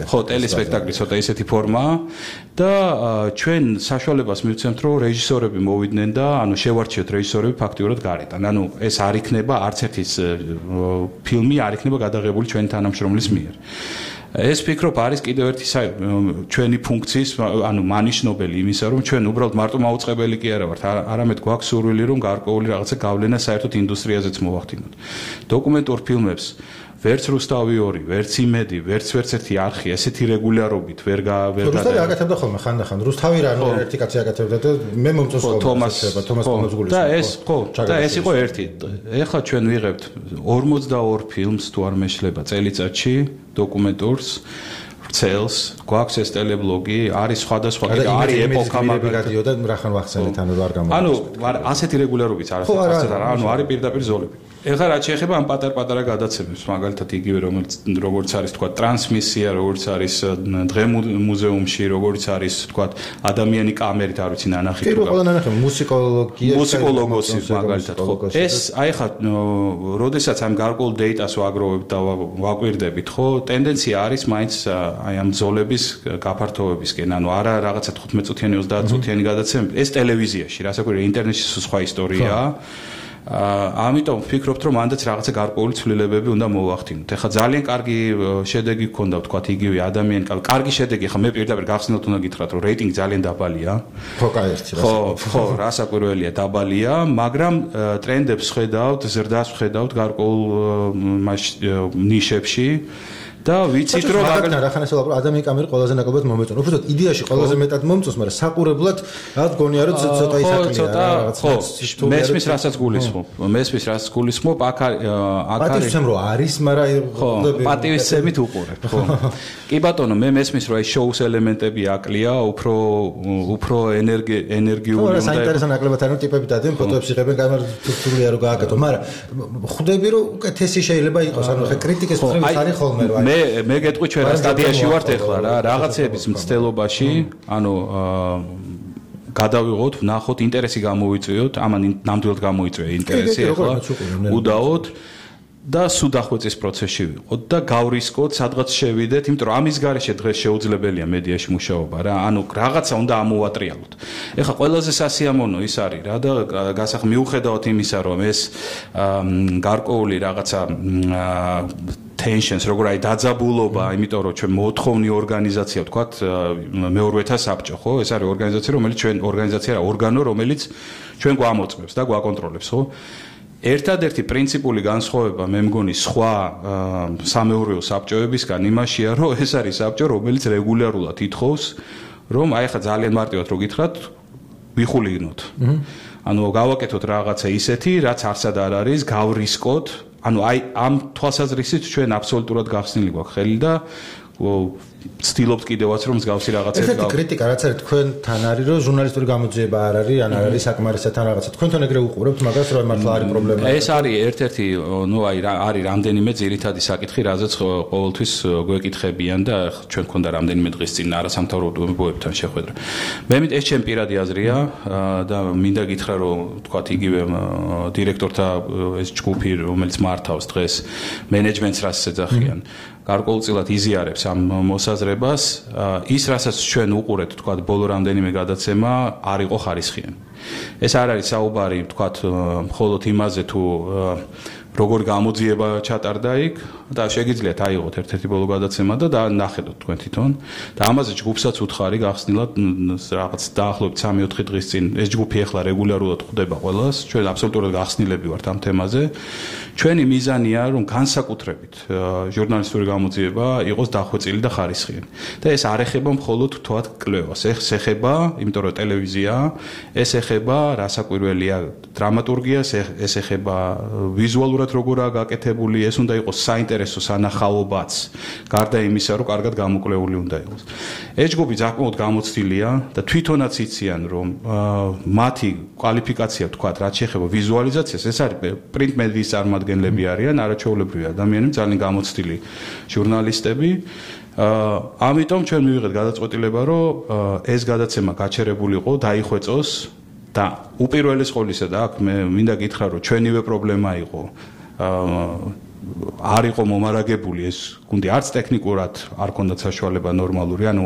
ხო, ტელესპექტაკლი ცოტა ისეთი ფორმაა და ჩვენ საშუალებას მივცემთ, რომ რეჟისორები მოვიდნენ და ანუ შევარჩიოთ რეჟისორები ფაქტიურად გარედან. ანუ ეს არ იქნება არც ერთი ფილმი არ იქნება გადაღებული ჩვენი თანამშრომლის მიერ. ეს ფიქრობ არის კიდევ ერთი ჩვენი ფუნქციის, ანუ მანიშნობელი იმისა, რომ ჩვენ უბრალოდ მარტო მაუწყებელი კი არა ვართ, არამედ გვაქვს სურვილი, რომ გარკვეული რაღაცა გავლენა საერთოდ ინდუსტრიაზეც მოვახდინოთ. დოკუმენტურ ფილმებს ვერც რუსთავი 2, ვერც იმედი, ვერც ერთი არხი ესეთი რეგულარობით ვერ რუსთავი აკეთებდა ხოლმე ხანდახან. რუსთავი რა ერთი კაცი აკეთებდა და მე მომწონს ხოლმე თომას პონოზგულის. და ეს ხო, და ეს იყო ერთი. ეხლა ჩვენ ვიღებთ 42 ფილმს თუ არ მეშლება წელიწადში დოკუმენტურს. ვრცელს, გვაქვს ეს ტელებლოგი, არის სხვადასხვა არის ეპოქა მაგალითად და რახან ვახსენეთ ანუ არ გამოდის. ანუ ასეთი რეგულარობით არის, ანუ არის პირდაპირ ზოლები. ეხლა რაც შეეხება ამ პატარ-პატარა გადაცემებს, მაგალითად იგივე როგორც არის თქვა ტრანსმისია, როგორც არის დღე მუზეუმში, როგორც არის თქვა ადამიანი კამერით, არ ვიცი ნანახი თუ კი, ყველა ნანახი მუსიკოლოგოსი მაგალითად ხო. ეს აი ხა როდესაც ამ გარკვეულ დეიტას ვაგროვებთ და ვაკვირდებით, ხო, ტენდენცია არის მაინც აი ამ ზოლების გაფართოვებისკენ, ანუ არა რაღაცა 15 წუთიანი, 30 წუთიანი გადაცემები, ეს ტელევიზიაში, რასაკვირველია, ინტერნეტში სხვა ისტორიაა. ამიტომ ვფიქრობთ, რომ მანდაც რაღაცა გარკვეული ცვლილებები უნდა მოვახდინოთ. ეხლა ძალიან კარგი შედეგი გქონდა, ვთქვათ, იგივე ადამიანი, კარგი შედეგი, ეხლა მე პირდაპირ გახსნილად უნდა გითხრათ, რომ რეიტინგი ძალიან დაბალია. ხო, კაერტი, ხო, რასაკვირველია, დაბალია, მაგრამ ტრენდებს ხედავთ, ზრდას ხედავთ გარკვეულ ნიშებში. და ვიცით რომ რახან ესე ვაპარავ ადამიანი კამერი ყველაზე ნაკლებად მომეწონა. უბრალოდ იდეაში ყველაზე მეტად მომწონს, მაგრამ საყურებლად რაღაც გონია რომ ცოტა ისაკლია რაღაც. ხო, მესმის რასაც გულისხმობ. მესმის რასაც გულისხმობ, აქ არის პატივისცემ რომ არის, მაგრამ ხო, პატივისცემით უყურებ, ხო. კი ბატონო, მე მესმის რომ აი შოუს ელემენტები აკლია, უფრო ენერგიული უნდა. ხო, საინტერესო ნაკლებად არის ტიპები დადიან, ფოტოებს იღებენ, კამერა თურთურია რომ გააკეთო, მაგრამ ხვდები რომ უკეთესი შეიძლება იყოს, ანუ ხე კრიტიკის მხრივ არის ხოლმე რომ მე გეტყვი ჩვენ რა სტადიაში ვართ ეხლა რა რაღაცების მცდელობაში ანუ გადავიღოთ ვნახოთ ინტერესი გამოვიწვიოთ ამან ნამდვილად გამოიწვია ინტერესი ეხლა უდაოდ და სუდახვეწის პროცესში ვიყოთ და გავრისკოთ სადღაც შევიდეთ იმიტომ რომ ამის გარეშე დღეს შეუძლებელია მედიაში მუშაობა რა ანუ რაღაცა უნდა ამოვატრიალოთ ეხლა ყველაზე სასიამოვნო ის არის რა და გასახ მიუხედავად იმისა რომ ეს გარკვეული რაღაცა tensions როგორ აი დაძაბულობა იმიტომ რომ ჩვენ მოთხოვნი ორგანიზაცია ვთქვათ მეორეთა საბჭო ხო ეს არის ორგანიზაცია რომელიც ჩვენ ორგანიზაცია რა ორგანო რომელიც ჩვენ გვამოწმებს და გვაკონტროლებს ხო ერთადერთი პრინციპული განსხვავება მე მგონი სხვა სამეურვეო საბჭოებისგან იმაშია რომ ეს არის საბჭო რომელიც რეგულარულად ითხოვს რომ აი ხა ძალიან მარტივად რო გითხრათ ვიხულიგნოთ ანუ გავაკეთოთ რაღაცა ისეთი რაც არსად არ არის გავრისკოთ ანუ აი ამ თვალსაზრისით ჩვენ აბსოლუტურად გახსნილი გვაქვს ხელი და ვცდილობთ კიდევაც რომ მსგავსი რაღაცები ეს კრიტიკა რაც არის თქვენთან არის რომ ჟურნალისტური გამოძიება არ არის ან არ არის საკმარისთან რაღაცა თქვენთან ეგრე უყურებთ მაგას რომ მართლა არის პრობლემა ეს არის ერთ-ერთი ნუ აი არის რამდენიმე ძირითადი საკითხი რაზეც ყოველთვის გვეკითხებიან და ჩვენ გქონდა რამდენიმე დღის წინ არასამთავრობოებთან შეხვედრა მე მით ეს ჩემი პირადი აზრია და მინდა გითხრა რომ თქვათ იგივე დირექტორთა ეს ჯგუფი რომელიც მართავს დღეს მენეჯმენტს რაც ეძახიან გარკვეულწილად იზიარებს ამ მოსაზრებას ის რასაც ჩვენ უყურეთ თქვათ ბოლო რამდენიმე გადაცემა არ იყო ხარისხიანი ეს არ არის საუბარი თქვათ მხოლოდ იმაზე თუ როგორ გამოძიება ჩატარდა იქ და შეგიძლიათ აიღოთ ერთ-ერთი ბოლო გადაცემა და ნახეთოთ თქვენ თვითონ და ამაზე ჯგუფსაც უთხარი გახსნილად რაღაც დაახლოებით 3-4 დღის წინ ეს ჯგუფი ახლა რეგულარულად ხვდება ყველას ჩვენ აბსოლუტურად გახსნილები ვართ ამ თემაზე ჩვენი მიზანია რომ განსაკუთრებით ჟურნალისტური გამოძიება იყოს დახვეწილი და ხარისხიანი და ეს არ ეხება მხოლოდ თვათ კვლევას ეს ეხება იმიტომ რომ ტელევიზია ეს ეხება რასაკვირველია დრამატურგიას ეს ეხება ვიზუალურად როგორაა გაკეთებული ეს უნდა იყოს საინტერესო სანახაობაც გარდა იმისა რომ კარგად გამოკვლეული უნდა იყოს ეს ჯგუფი საკმაოდ გამოცდილია და თვითონაც იციან რომ მათი კვალიფიკაცია თქვათ რაც შეეხება ვიზუალიზაციას ეს არის პრინტ მედიის წარმომადგენლები არიან არაჩვეულებრივი ადამიანები ძალიან გამოცდილი ჟურნალისტები ამიტომ ჩვენ მივიღეთ გადაწყვეტილება რომ ეს გადაცემა გაჩერებული იყო დაიხვეწოს და უპირველეს ყოვლისა და აქ მე მინდა გითხრა რომ ჩვენივე პრობლემა იყო არ იყო მომარაგებული ეს გუნდი არც ტექნიკურად არ ქონდათ საშუალება ნორმალური ანუ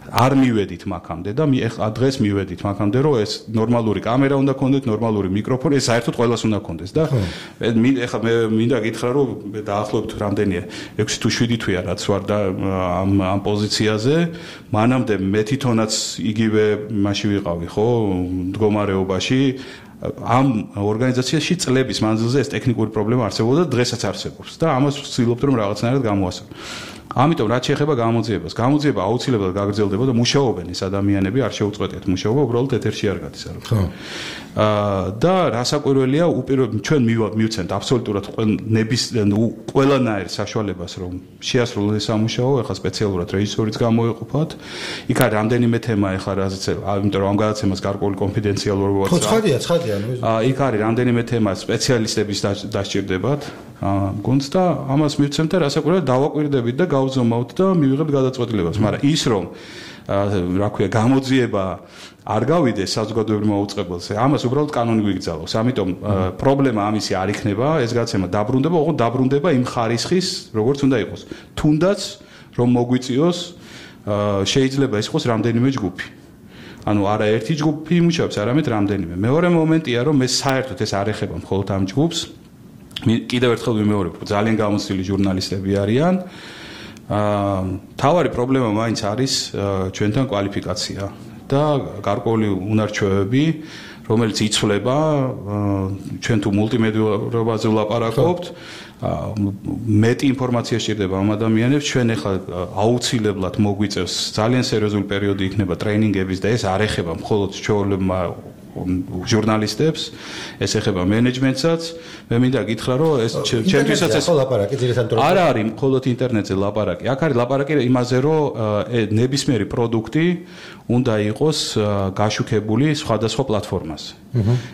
არ მივედით მაგამდე და ახლა დღეს მივედით მაგამდე რომ ეს ნორმალური კამერა უნდა ქონდეთ ნორმალური მიკროფონი ეს საერთოდ ყველას უნდა ქონდეს და ახლა მე მინდა გითხრა რომ დაახლოებით რამდენია 6 თუ 7 თვეა რაც ვარ და ამ პოზიციაზე მანამდე მე თვითონაც იგივე მასში ვიყავი ხო მდგომარეობაში ამ ორგანიზაციაში წლების მანძილზე ეს ტექნიკური პრობლემა არსებობდა და დღესაც არსებობს და ამას ვცდილობთ რომ რაღაცნაირად გამოვასწოროთ. ამიტომ რაც შეეხება გამოძიებას, გამოძიება აუცილებლად გაგრძელდება და მუშაობენ ეს ადამიანები, არ შეუწყვეტიათ მუშაობა, უბრალოდ ეთერში არ გადის არა. ხო. და რასაკვირველია, ჩვენ მივცემთ აბსოლუტურად ყველანაირ საშუალებას, რომ შეასრულოს სამუშაო, ეხლა სპეციალურად რეჟისორიც გამოეყოფათ. იქ არის რამდენიმე თემა, ეხლა რაზეც, იმიტომ რომ ამ გადაცემას გარკვეული კონფიდენციალურობაც აქვს. ხო, ცხადია. იქ არის რამდენიმე თემა, სპეციალისტების დასჭირდებათ. გონც და ამას მივცემთ და რასაკვირველია დავაკვირდებით და გავზომავთ და მივიღებთ გადაწყვეტილებას, მაგრამ ის რომ რა ქვია, გამოძიება არ გავიდეს საზოგადოებრივ მოუწყებელზე, ამას უბრალოდ კანონი გვიგზავნოს. ამიტომ პრობლემა ამისი არ იქნება, ეს გადაცემა დაბრუნდება, ოღონდ დაბრუნდება იმ ხარისხის, როგორც უნდა იყოს. თუნდაც რომ მოგვიწიოს, შეიძლება ის იყოს რამდენიმე ჯგუფი. ანუ არა ერთი ჯგუფი იმუშავებს, არამედ რამდენიმე. მეორე მომენტია, რომ მე საერთოდ ეს არ ეხება მხოლოდ ამ ჯგუფს. კიდევ ერთხელ ვიმეორებ, ძალიან გამოცდილი ჟურნალისტები არიან. თავარი პრობლემა მაინც არის ჩვენთან კვალიფიკაცია და გარკვეული უნარჩვევები, რომელიც იცვლება, ჩვენ თუ მულტიმედიურობაზე ვლაპარაკობთ, მეტი ინფორმაცია სჭირდება ამ ადამიანებს, ჩვენ ახლა აუცილებლად მოგვიწევს ძალიან სერიოზული პერიოდი იქნება ტრეინინგების და ეს არ ეხება მხოლოდ ჩვეულებმა ჟურნალისტებს, ეს ეხება მენეჯმენტსაც. მე მინდა გითხრა, რომ ეს ჩემთვისაც ეს ლაპარაკი ძირითადად არ არის მხოლოდ ინტერნეტზე ლაპარაკი. აქ არის ლაპარაკი იმაზე, რომ ნებისმიერი პროდუქტი უნდა იყოს გაშუქებული სხვადასხვა პლატფორმაზე.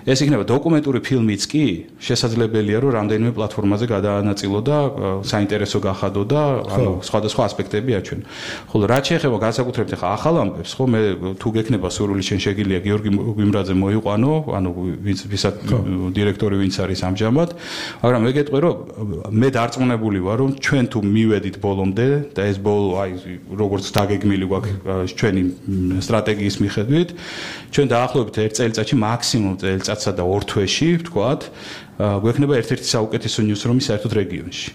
ეს იქნება დოკუმენტური ფილმიც კი, შესაძლებელია, რომ რამდენიმე პლატფორმაზე გადაანაწილო და საინტერესო გახადო და ანუ სხვადასხვა ასპექტები აჩვენო. ხოლო რაც შეეხება განსაკუთრებით ახლა ახალ ამბებს, ხო მე თუ გექნება სურვილი შენ შეგიძლია გიორგი გვიმრაძე მოიყვანო, ანუ ვისაც დირექტორი ვინც არის ამჟამად, მაგრამ მე გეტყვი, რომ მე დარწმუნებული ვარ, რომ ჩვენ თუ მივედით ბოლომდე და ეს ბოლო აი როგორც დაგეგმილი გვაქვს ჩვენი სტრატეგიის მიხედვით, ჩვენ დაახლოებით 1 წელიწადში მაქსიმუმ წელიწადსა და 2 თვეში, ვთქვათ, გვექნება ერთ-ერთი საუკეთესო ნიუსრუმი საერთოდ რეგიონში.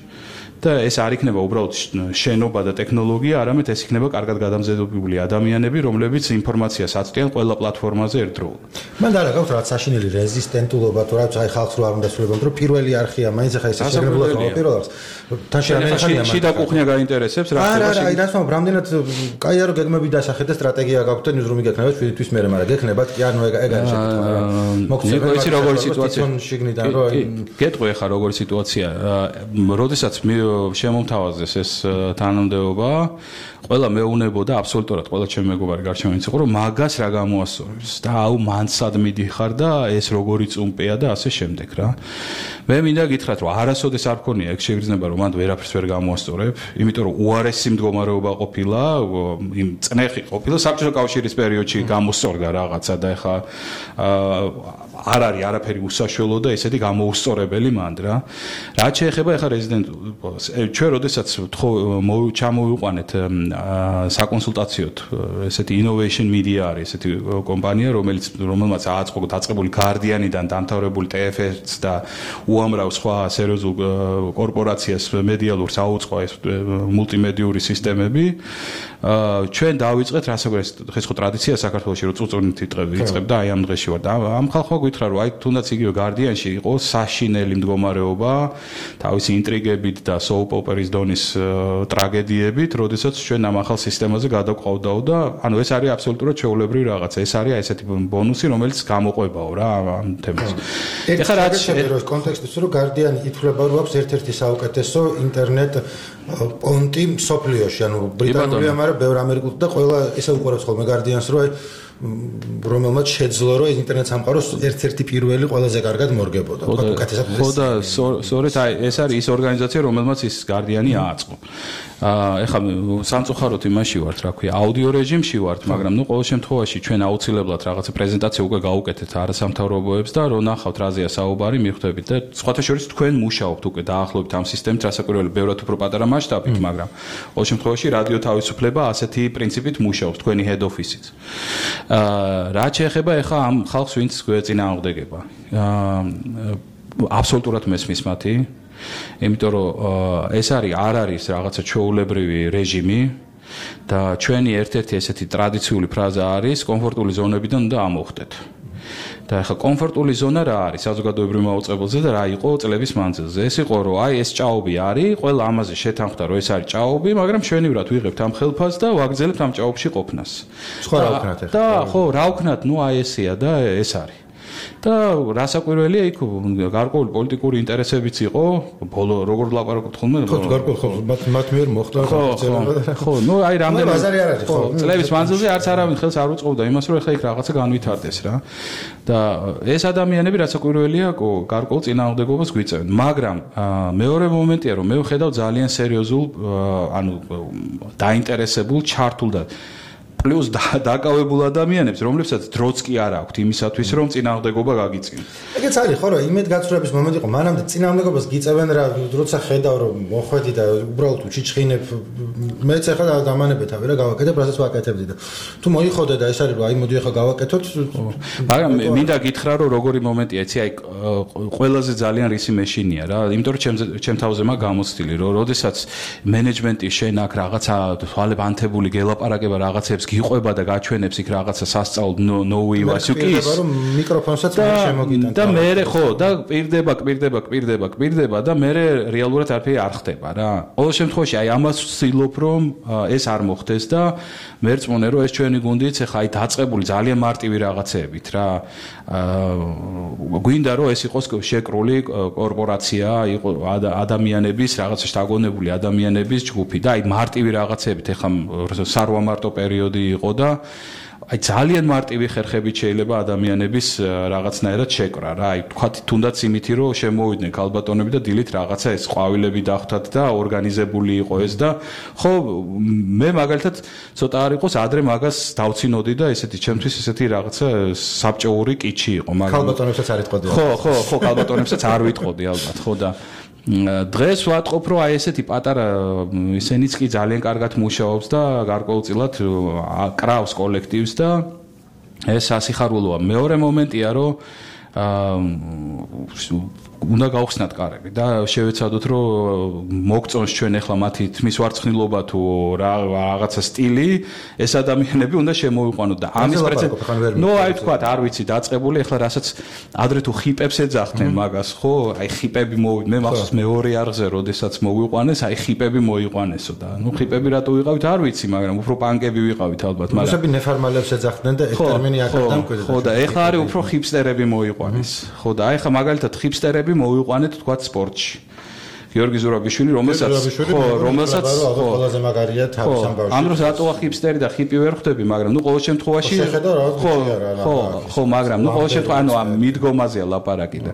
და ეს არ იქნება უბრალოდ შენობა და ტექნოლოგია, არამედ ეს იქნება კარგად გადამზადებული ადამიანები, რომლებიც ინფორმაციას აწვდიან ყველა პლატფორმაზე ერთდროულად. მან და რა გაქვს რაღაც საშინელი რეზისტენტულობა თუ რაც აი ხალხს რო არ უნდა სრულებოდ, რომ პირველი არხია, მაინც ახლა ეს შეგრებულად მოპირველებს. თან შეამენახანია მან. შიდა კუხნია გაინტერესებს რა ხდება? არა, აი რას ვამბობ, რამდენად კაია რომ გეგმები დასახეთ და სტრატეგია გაქვთ და ნიუზრუმი გექნებათ შვიდთვის მერე, მაგრამ გექნებათ კი ანუ ეგ არის შეკითხვა რა. მოგწევთ ის როგორი სიტუაცია? შიგნიდან რომ გეტყვი ახლა როგორი სიტუაცია? როდესაც შემომთავაზეს ეს თანამდებობა, ყველა მეუბნებოდა აბსოლუტურად ყველა ჩემი მეგობარი გარჩევანიც იყო, რომ მაგას რა გამოასწორებს და აუ მანცად მიდიხარ და ეს როგორი წუმპეა და ასე შემდეგ რა. მე მინდა გითხრათ, რომ არასოდეს არ მქონია ეგ შეგრძნება, რომ მანდ ვერაფერს ვერ გამოასწორებ, იმიტომ რომ უარესი მდგომარეობა ყოფილა, იმ წნეხი ყოფილა საბჭოთა კავშირის პერიოდში გამოსწორდა რაღაცა და ეხა არ არის არაფერი უსაშველო და ესეთი გამოუსწორებელი მანდ რა. რაც შეეხება ეხა რეზიდენტულობას, ჩვენ როდესაც ჩამოვიყვანეთ საკონსულტაციოდ ესეთი innovation media არის ესეთი კომპანია, რომელმაც დაწყებული Guardian-იდან დამთავრებული TFS და უამრავ სხვა სერიოზულ კორპორაციას მედიალურს აუწყო ეს მულტიმედიური სისტემები. ჩვენ დავიწყეთ რასაკვირველია დღეს ხო ტრადიცია საქართველოში რომ წუწუნით იწყებ და აი ამ დღეში ვარ და ამ ხალხმა გითხრა რომ აი თუნდაც იგივე Guardian-ში იყო საშინელი მდგომარეობა თავისი ინტრიგებით და soap opera-ის დონის ტრაგედიებით, როდესაც ჩვენ ამ ახალ სისტემაზე გადაყვავდაო და ანუ ეს არის აბსოლუტურად ჩვეულებრივი რაღაცა. ეს არის ესეთი ბონუსი, რომელიც გამოყვებაო რა ამ თემას. ეხლა რაც შეეროს კონტექსტის რომ Guardian-ი ითვლება რომ აქვს ერთ-ერთი საუკეთესო ინტერნეტ პონტი სოფლიოში, ანუ ბრიტანულია, მაგრამ ბევრ ამერიკულ და ყველა ესე უყურებს ხოლმე Guardian-ს, რომ რომელმაც შეძლო რომ ინტერნეტ სამყაროს ერთ-ერთი პირველი ყველაზე კარგად მორგებოდა. ხო და სწორედ აი ეს არის ის ორგანიზაცია, რომელმაც ის Guardian-ი ააწყო. ეხლა სამწუხაროდ იმაში ვართ, რა ქვია, აუდიო რეჟიმში ვართ, მაგრამ ნუ ყოველ შემთხვევაში ჩვენ აუცილებლად რაღაცა პრეზენტაცია უკვე გავუკეთეთ არასამთავრობოებს და რო ნახავთ რაზეა საუბარი, მიხვდებით და სხვათა შორის თქვენ მუშაობთ უკვე დაახლოებით ამ სისტემით, რასაკვირველია, ბევრად უფრო პატარა მასშტაბით, მაგრამ ყოველ შემთხვევაში რადიო თავისუფლება ასეთი პრინციპით მუშაობს, თქვენი head office-იც. რაც შეეხება ეხლა ამ ხალხს, ვინც გვეწინააღმდეგება. აბსოლუტურად მესმის მათი, იმიტომ რომ ეს არ არის რაღაცა ჩვეულებრივი რეჟიმი და ჩვენი ერთ-ერთი ესეთი ტრადიციული ფრაზა არის კომფორტული ზონებიდან უნდა ამოვხდეთ. და ახლა კომფორტული ზონა რა არის საზოგადოებრივ მაუწყებელზე და რა იყო წლების მანძილზე. ეს იყო რომ აი ეს ჭაობი არის, ყველა ამაზე შეთანხმდა რომ ეს არის ჭაობი, მაგრამ ჩვენივრად ვიღებთ ამ ხელფასს და ვაგრძელებთ ამ ჭაობში ყოფნას. სხვა რა ვქნათ ახლა? და ხო, რა ვქნათ, ნუ აი ესეა და ეს არის. და რასაკვირველია იქ გარკვეული პოლიტიკური ინტერესებიც იყო, ბოლო როგორ ვლაპარაკობთ ხოლმე? ხო, გარკვეული მათ მიერ მოხდა ხალხი. ხო, ნუ აი რამდენი ბაზარი არ არის, ხო. წლების მანძილზე არც არავინ ხელს არ უწყობდა იმას, რომ ეხლა იქ რაღაცა განვითარდეს რა. და ეს ადამიანები რასაკვირველია, გარკვეულ წინააღმდეგობას გვიწევენ, მაგრამ მეორე მომენტია, რომ მე ვხედავ ძალიან სერიოზულ, ანუ დაინტერესებულ, ჩართულ და პლუს დაკავებულ ადამიანებს, რომლებსაც დროც კი არ აქვთ იმისათვის, რომ წინააღმდეგობა გაგიწიონ. ეგეც არის, ხო, რა, იმედგაცრუების მომენტი იყო, მანამდე წინააღმდეგობას გიწევენ რა, როცა ხედავ, რომ მოხვედი და უბრალოდ უჩიჩხინებ, მეც ახლა დამანებეთავი რა, გავაკეთებ, რასაც ვაკეთებდი და თუ მოიხოდე და ეს არის, რომ აი მოდი ახლა გავაკეთოთ, მაგრამ მინდა გითხრა, რომ როგორი მომენტია, იცი, აი ყველაზე ძალიან რისი მეშინია რა, იმიტომ რომ ჩემ თავზე მაგ გამოცდილი, რომ როდესაც მენეჯმენტი შენ აქ რაღაცა თვალებ ანთებული გელაპარაკება რაღაცებს გიყვება და გაჩვენებს იქ რაღაცა სასწაულ ნოუი ვასუკის რომ მიკროფონსაც შემოგიტანთ და მე ხო და კვირდება და მე რეალურად არაფერი არ ხდება რა. ყოველ შემთხვევაში აი ამას ვცდილობ რომ ეს არ მოხდეს და მე რწმუნე რომ ეს ჩვენი გუნდიც ეხა აი დაწყებული ძალიან მარტივი რაღაცეებით რა. გვინდა რომ ეს იყოს შეკრული კორპორაცია, იყო ადამიანების რაღაცა შთაგონებული ადამიანების ჯგუფი და აი მარტივი რაღაცეებით ეხა სარვამარტო პერიოდი იყო და აი ძალიან მარტივი ხერხებით შეიძლება ადამიანების რაღაცნაირად შეკრა რა. აი თქვათ თუნდაც იმითი რომ შემოვიდნენ ქალბატონები და დილით რაღაცა ეს ყვავილები დახვდათ და ორგანიზებული იყო ეს და ხო მე მაგალითად ცოტა არ იყოს ადრე მაგას დავცინოდი და ესეთი ჩემთვის ესეთი რაღაცა საბჭოური კიჩი იყო მაგრამ ქალბატონებსაც არ იტყოდი. ხო ქალბატონებსაც არ ვიტყოდი ალბათ ხო და დღეს ვატყობ რომ აი ესეთი პატარა ისენიც კი ძალიან კარგად მუშაობს და გარკვეულწილად კრავს კოლექტივს და ეს ასიხარულოა. მეორე მომენტია რომ უნდა გავხსნათ კარები და შევეცადოთ რომ მოგწონს ჩვენ ახლა მათი თმის ვარცხნილობა თუ რაღაცა სტილი ეს ადამიანები უნდა შემოვიყვანოთ და ამის პრეცედენტი ნუ აი თქვა არ ვიცი დაწყებული ახლა რასაც ადრე თუ ხიპებს ეძახდნენ მაგას ხო აი ხიპები მე მახსოვს მეორე არღზე როდესაც მოვიყვანეს აი ხიპები მოიყვანესო და ნუ ხიპები რატო ვიყავით არ ვიცი მაგრამ უფრო პანკები ვიყავით ალბათ მაგრამ რუსები ნეფარმალებს ეძახდნენ და ეს ტერმინი აქ დამკვიდრდა ხო და ახლა არის უფრო ხიპსტერები მოიყვანეს ხო და აი ხა მაგალითად ხიპსტერები მოვიყვანეთ თქვა სპორტში. გიორგი ზურაბიშვილი, რომელსაც ყველაზე მაგარია თავის ამბავში. ამ დროს რატოა ხიპსტერი და ხიპი ვერ ხვდები, მაგრამ ნუ ყოველ შემთხვევაში ხო, მაგრამ ნუ ყოველ შემთხვევაში ანუ ამ მიდგომაზეა ლაპარაკი და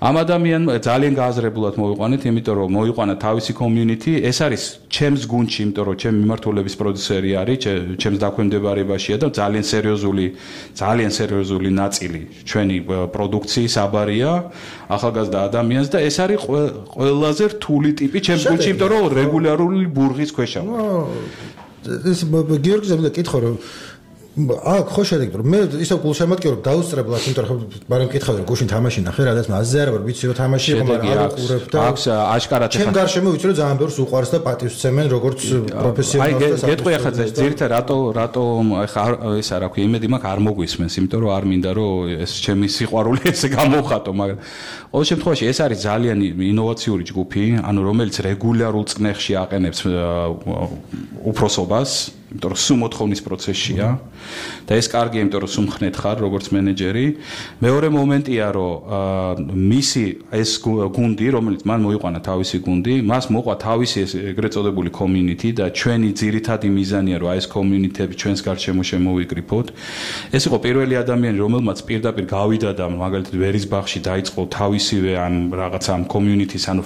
ამ ადამიანმა ძალიან გააზრებულად მოვიყვანეთ, იმიტომ რომ მოიყვანა თავისი community, ეს არის ჩემს გუნდში, იმიტომ რომ ჩემი მიმართულების პროდიუსერი არის, ჩემს დაქვემდებარებაშია და ძალიან სერიოზული ნაწილი ჩვენი პროდუქციის აბარია ახალგაზრდა ადამიანს და ეს არის ყველაზე რთული ტიპი ჩემს გუნდში, იმიტომ რომ რეგულარული ბურღის ქვეშა ვარ. ეს გიორგის მინდა კითხო რომ აქ ხო შედეგი რომ მე ისე გულშემატკივრ რომ დაუსწრებლად იმიტომ რომ მაგრამ კითხავდი რომ გუშინ თამაში ნახე რადგან აზზე არ ვარ ვიცი რომ თამაში იყო მაგრამ არ უყურებ და აქვს აშკარად ჩემ გარშემო ვიცი რომ ძალიან ბევრს უყვარს და პატივს ცემენ როგორც პროფესიონალს და გეტყვი ახლა ძირითადად რატო ახლა ეს არა ქვია იმედი მაქვს არ მოგვისმენს იმიტომ რომ არ მინდა რომ ეს ჩემი სიყვარული ესე გამოვხატო მაგრამ ყოველ შემთხვევაში ეს არის ძალიან ინოვაციური ჯგუფი ანუ რომელიც რეგულარულ წნეხში აყენებს უფროსობას იმიტომ რომ სულ მოთხოვნის პროცესშია და ეს კარგია იმიტომ რომ სულ მხნეთ ხარ როგორც მენეჯერი მეორე მომენტია რომ მისი ეს გუნდი რომელიც მან მოიყვანა თავისი გუნდი მას მოყვა თავისი ეს ეგრეთ წოდებული community და ჩვენი ძირითადი მიზანია რომ აი ეს community-ები ჩვენს გარშემო შემოვიკრიფოთ ეს იყო პირველი ადამიანი რომელმაც პირდაპირ გავიდა და მაგალითად ვერისბახში დაიწყო თავისივე ამ რაღაცა ამ community-ს ანუ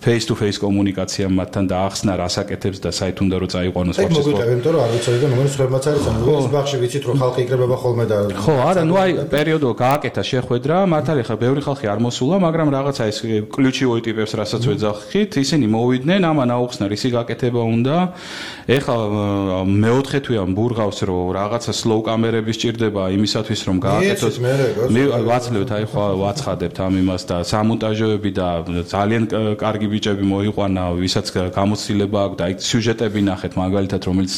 face to face კომუნიკაცია მათთან და ახსნა რასაკეთებს და საით უნდა რომ წაიყვანოს ვაფშე. ეს მოგვიტევი, იმიტომ რომ არ ვიცოდი და მომents ხებმაც არის, ანუ ეს ბაღში ვიცით რომ ხალხი იკრებება ხოლმე და ხო, არა, ნუ აი პერიოდო გააკეთა შეხვედრა, მართალი ხა ბევრი ხალხი არ მოსულა, მაგრამ რაღაცა ეს ключевой ტიპებს რასაც ვეძახით, ისინი მოვიდნენ, ამან აუხსნა რისი გაკეთება უნდა. ეხლა მეოთხე თვეა ბურღავს რომ რაღაცა slow კამერები სჭირდება იმისათვის რომ გააკეთოს. მე ვაცლებთ აი ხო ვაცხადებთ ამ იმას და სამონტაჟოები და ძალიან კარგი ბიჭები მოიყვანა, ვისაც გამოცდილება აქვს და აი სიუჟეტები ნახეთ მაგალითად, რომელიც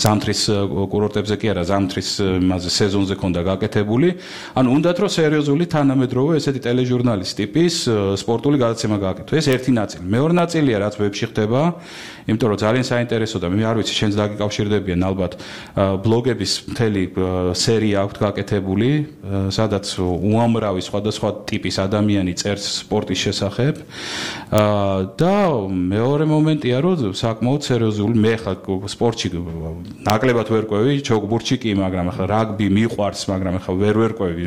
ზამთრის კურორტებზე კი არა, ზამთრის მასე სეზონზე ქონდა გაკეთებული. ანუ უნდათ რომ სერიოზული თანამედროვე ესეთი ტელეჟურნალის ტიპის სპორტული გადაცემა გააკეთო. ეს ერთი ნაწილი. მეორე ნაწილია რაც ვებში ხდება, იმიტომ რომ ძალიან საინტერესო და მე არ ვიცი შენს დაგიკავშირდებიან ალბათ ბლოგების მთელი სერია აქვს გაკეთებული, სადაც უამრავი სხვადასხვა ტიპის ადამიანი წერს სპორტის შესახებ. და მეორე მომენტია რომ საკმაოდ სერიოზული მე ხა სპორტში ნაკლებად ვერ ყვევი, ჩოგბურთში კი, მაგრამ ხა რაგბი მიყვარს, მაგრამ ხა ვერ ყვევი.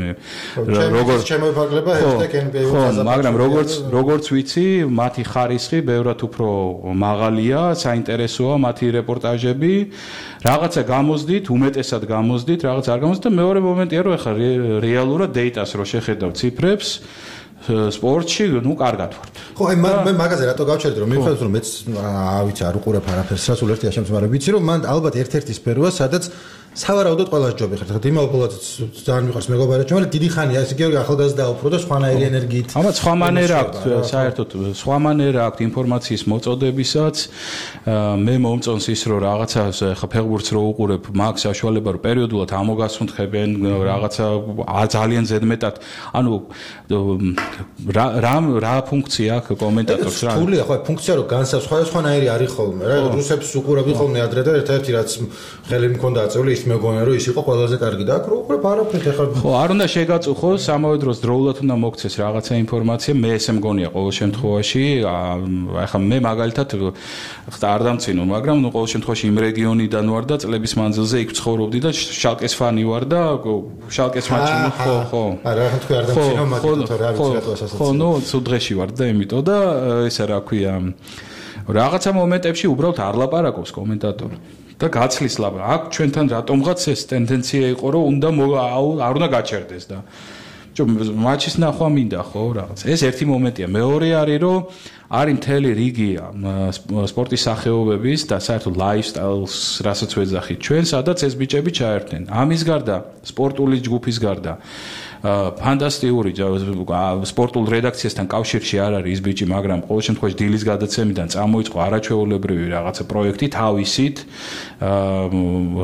როგორც შემოიფარგლება #NBA მაგრამ როგორც ვიცი, მათი ხარისხი ბევრად უფრო მაღალია, საინტერესოა მათი რეპორტაჟები. რაღაცა გამოსდით, უმეტესად გამოსდით, რაღაც არ გამოსდით და მეორე მომენტია რომ ხა რეალურად დეიტას რო შეხედავ ციფრებს სპორტში, ნუ კარგად ვართ. ხო, აი მე მაგაზე რატო გავჩერდი რომ მიხვდეთ რომ მეც ვიცი არ უყურებ არაფერს, რა სულ ერთი აშემს, მაგრამ ვიცი რომ მან ალბათ ერთ-ერთი სფეროა, სადაც სავარაუდოდ ყველას ჯობი ხერხ. ხა იმალბოლად ძალიან მიყვარს მეგობარად, მაგრამ დიდი ხანია ესე იგი ახალგაზრდა უფრო და სხვანაირი ენერგიით. ამათ სხვა მანერა აქვს, საერთოდ სხვა მანერა აქვს ინფორმაციის მოწოდებისაც. მე მომწონს ის რომ რაღაცა ხა ფეხბურთს რო უყურებ, მაქვს საშუალება რომ პერიოდულად ამოგასუნთქებენ რაღაცა ძალიან ზედმეტად. ანუ რა ფუნქცია აქვს კომენტატორს რა? სულია ხო, ფუნქცია რომ სხვადასხვანაირი არის ხოლმე, რა რუსებს უყურებდი ხოლმე ადრე და ერთ-ერთი რაც ხელი მქონდა აწეული მეგონა რომ ის იყო ყველაზე კარგი და აქ რო უყურებ არაფერი ხარ. ხო, არ უნდა შეგაწუხოს, ამავე დროს დროულად უნდა მოგცეს რაღაცა ინფორმაცია, მე ესე მგონია ყოველ შემთხვევაში, ახლა მე მაგალითად არ დამცინო, მაგრამ ნუ ყოველ შემთხვევაში იმ რეგიონიდან ვარ და წლების მანძილზე იქ ცხოვრობდი და შალკეს ფანი ვარ და შალკეს მატჩი ხო. არა, რა თქვი არ დამცინო, მაგრამ რა ვიცი რატო ასეც. ხო, ნუ სუდღეში ვარ და იმიტომ და ესე რა ქვია, რაღაცა მომენტებში უბრალოდ არ ლაპარაკობს კომენტატორი. და გაცლის ლაპარაკი. აქ ჩვენთან რატომღაც ეს ტენდენცია იყო, რომ უნდა არ უნდა გაჩერდეს და მატჩის ნახვა მინდა ხო რაღაც. ეს ერთი მომენტია. მეორე არის რომ არის მთელი რიგი სპორტის სახეობების და საერთოდ ლაიფსტაილს, რასაც ვეძახით ჩვენ, სადაც ეს ბიჭები ჩაერთნენ. ამის გარდა, სპორტული ჯგუფის გარდა ფანტასტიკური სპორტულ რედაქციასთან კავშირში არ არის ის ბიჭი, მაგრამ ყოველ შემთხვევაში დილის გადაცემიდან წამოიწყო არაჩვეულებრივი რაღაცა პროექტი თავისით